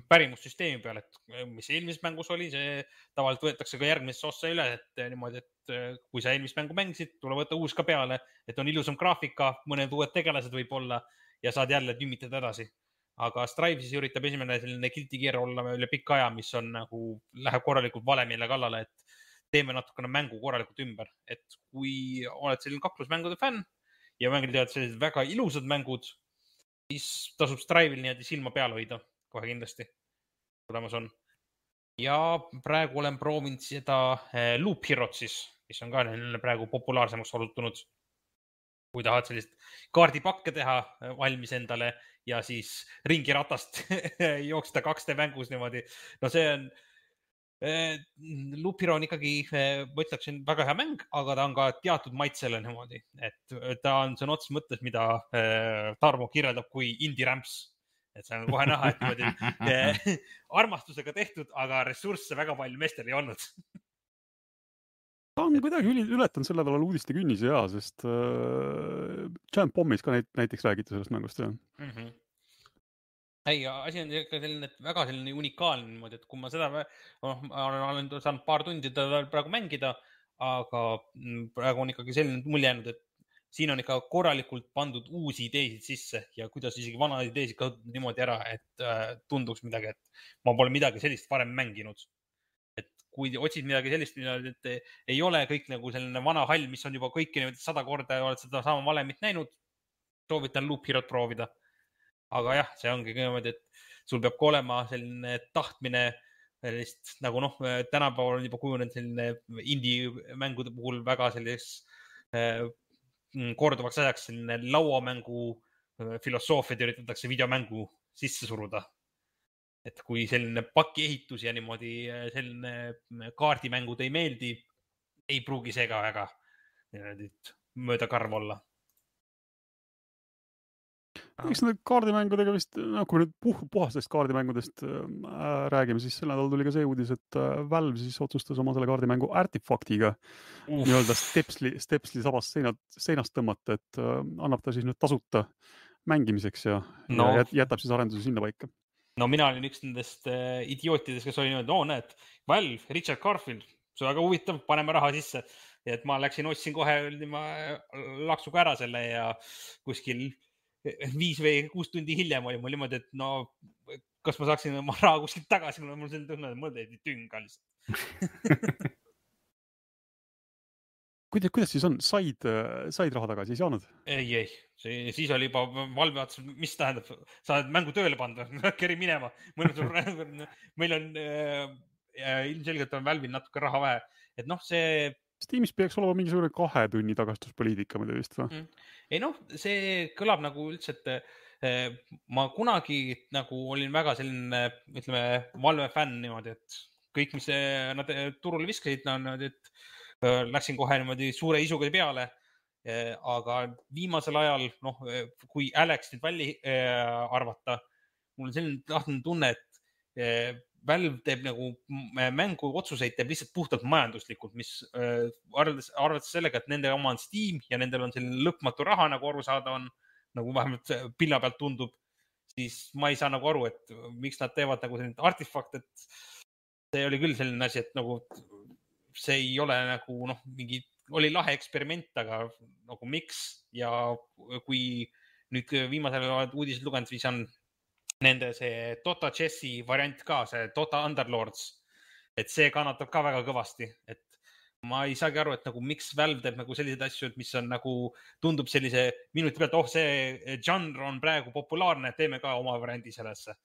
pärimussüsteemi peal, et mis eelmises mängus oli, see tavaliselt võetakse ka järgmisse ossa üle, et niimoodi, et kui sa eelmist mängu mängisid, tule võtta uus ka peale, et on ilusam graafika, mõned uued tegelased võib-olla ja saad jälle tümmitada edasi. Aga Strive siis üritab esimene selline Guilty Gear olla üle pikka aja, mis on nagu, läheb korralikult valemile kallale, et teeme natukene mängu korralikult ümber. Et kui oled selline kaklusmängude fänn ja mängid sellised väga ilusad mängud, siis tasub Strive'il niimoodi silma peal hoida. Kohe kindlasti tulemas on. Ja praegu olen proovinud seda Loop Herot siis, mis on ka praegu populaarsemaks osutunud. Kui tahad sellist kaardipakke teha valmis endale ja siis ringiratast jooksda 2D mängus niimoodi. No see on, Loop Hero on ikkagi, ma ütleksin, väga hea mäng, aga ta on ka teatud maitsele niimoodi. Et ta on sõna otseses mõttes, mida Tarmo kirjeldab kui indie ramps. Et see on kohe näha, et niimoodi armastusega tehtud, aga ressursse väga palju meestel ei olnud. Ta on kuidagi ületanud selle nädalal uudiste künnise ja, sest Giant Bombis ka näiteks räägiti sellest mängust. Ei, asi on selline, et väga selline unikaalne niimoodi, et kui ma seda olen saanud paar tundi teda praegu mängida, aga praegu on ikkagi selline mulje jäänud, et siin on ikka korralikult pandud uusi ideesid sisse ja kuidas isegi vana ideesid kasutavad niimoodi ära, et tunduks midagi, et ma pole midagi sellist varem mänginud. Et kui otsid midagi sellist, et ei ole kõik nagu selline vana hall, mis on juba kõiki 100 korda ja oled seda sama valemit näinud, soovitan Loop Herot proovida. Aga jah, see ongi niimoodi, et sul peab ka olema selline tahtmine, nagu tänapäeval on juba kujunenud selline indie mängude puhul väga sellis korduvaks ajaks selline lauamängu filosoofiad üritatakse videomängu sisse suruda. Et kui selline pakiehitus ja niimoodi selline kaardimängud ei meeldi, ei pruugi see ka väga mööda karv olla. Eks need kaardimängudega vist, kui nüüd puhastest kaardimängudest räägime, siis sel nädal tuli ka see uudis, et Valve siis otsustas oma selle kaardimängu Artifactiga nii-öelda stepsli sabast seinast tõmmata, et annab ta siis nüüd tasuta mängimiseks ja jätab siis arenduse sinna paika. No mina olin üks nendest idiootidest, kes oli niimoodi, näed, Valve, Richard Garfield, see on väga huvitav, paneme raha sisse. Ja et ma ostsin kohe laksuga ära selle ja kuskil 5 või 6 tundi hiljem oli mul niimoodi, et kas ma saaksin oma raha kuskilt tagasi, mul selline tunne, et mul teedi tünga lihtsalt. Kuidas siis on? Said raha tagasi, ei saanud? Ei. Siis oli juba Valve vaatas, mis tähendab, sa oled mängu tööle pannud, keri minema. Meil on ilmselgelt on Valve'il natuke raha vähe. Et see... Steamis peaks olema mingisugune 2 tunni tagastuspoliitika, mida vist või? Ei see kõlab nagu üldse, et ma kunagi nagu olin väga selline, ütleme, Valve fänn niimoodi, et kõik, mis nad turule viskasid, et läksin kohe niimoodi suure isuga peale, aga viimasel ajal, kui Alex nüüd välja arvata, mul on selline tahtnud tunne, et Valve teeb nagu mängu otsuseid, teeb lihtsalt puhtalt majanduslikult, mis arvates sellega, et nende oma on Steam ja nendel on selline lõpmatu raha, nagu aru saada on, nagu vähemalt pilla pealt tundub, siis ma ei saa nagu aru, et miks nad teevad nagu selline artifakt, et see oli küll selline asi, et nagu see ei ole nagu mingi, oli lahe eksperiment, aga nagu miks ja kui nüüd viimasel uudised lugenud, siis on nende see Dota Chessi variant ka, see Dota Underlords, et see kannatab ka väga kõvasti, et ma ei saagi aru, et nagu miks Valve teeb nagu selliseid asju, et mis on nagu, tundub sellise minuti pealt, see žanr on praegu populaarne, teeme ka oma variandi sellesse.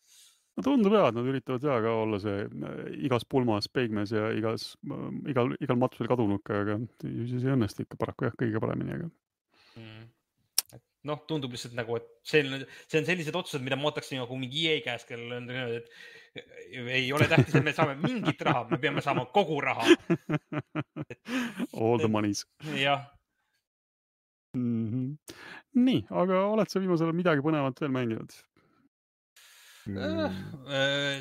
No tundub jah, et nad üritavad ka olla see igas pulmas peigmes ja igal matusel kadunuka, aga siis ei õnnestu ikka paraku jah, kõige paremini, aga. Noh, tundub lihtsalt nagu, et see on sellised otsused, mida ma ootaksin nagu mingi EA käes, kellel on, et ei ole tähtis, et me saame mingit raha, me peame saama kogu raha. All the monies. Jah. Nii, aga oled sa viimasel midagi põnevat veel mänginud?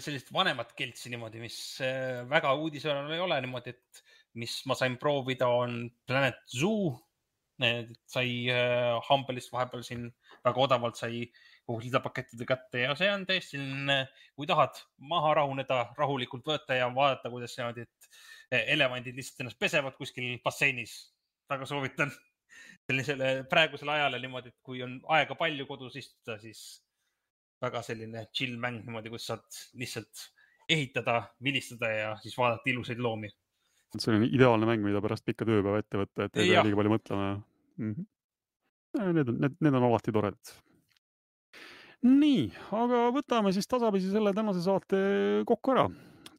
Sellist vanemat keltsi niimoodi, mis väga uudisvääral ei ole niimoodi, et mis ma sain proovida on Planet Zoo. Sai Humble'ist vahepeal siin väga odavalt sai kogu lisapakettide kätte ja see on tõesti, kui tahad maha rahuneda, rahulikult võtta ja vaadata, kuidas see, et elevandid lihtsalt ennast pesevad kuskil basseinis. Väga soovitan sellisele praegusele ajale niimoodi, et kui on aega palju kodus istuda, siis väga selline chill mäng niimoodi, kus saad lihtsalt ehitada, vilistada ja siis vaadata ilusaid loomi. See on ideaalne mäng, mida pärast pikka tööpäeva ette võtta, et ei pea liiga palju mõtlema. Need on alati toredad. Nii, aga võtame siis tasapisi selle tänase saate kokku ära.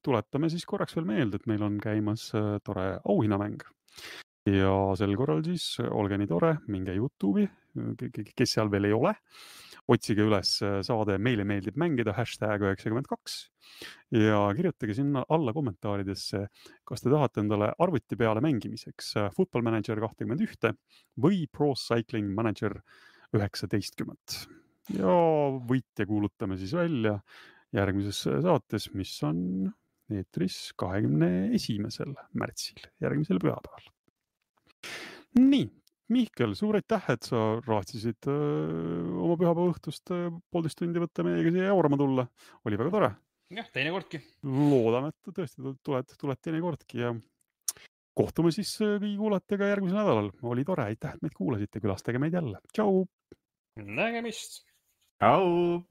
Tuletame siis korraks veel meelde, et meil on käimas tore auhinnamäng. Ja sel korral siis olge nii tore, minge YouTube'i, kes seal veel ei ole. Otsige üles saade Meile meeldib mängida #92 ja kirjutage sinna alla kommentaaridesse, kas te tahate endale arvuti peale mängimiseks Football Manager 21 või Pro Cycling Manager 19. Ja võitja kuulutame siis välja järgmises saates, mis on eetris 21. märtsil, järgmisel pühapäeval. Nii. Mihkel, suur aitäh, et sa raatsisid oma pühapäeva õhtust 1,5 tundi võtta meiega siia jaurama tulla. Oli väga tore. Jah, teinekordki. Loodame, et tõesti tuled teinekordki ja kohtume siis kõigi kuulajatega järgmisel nädalal. Oli tore, aitäh, et meid kuulasite, külastage meid jälle. Tšau! Nägemist! Tšau!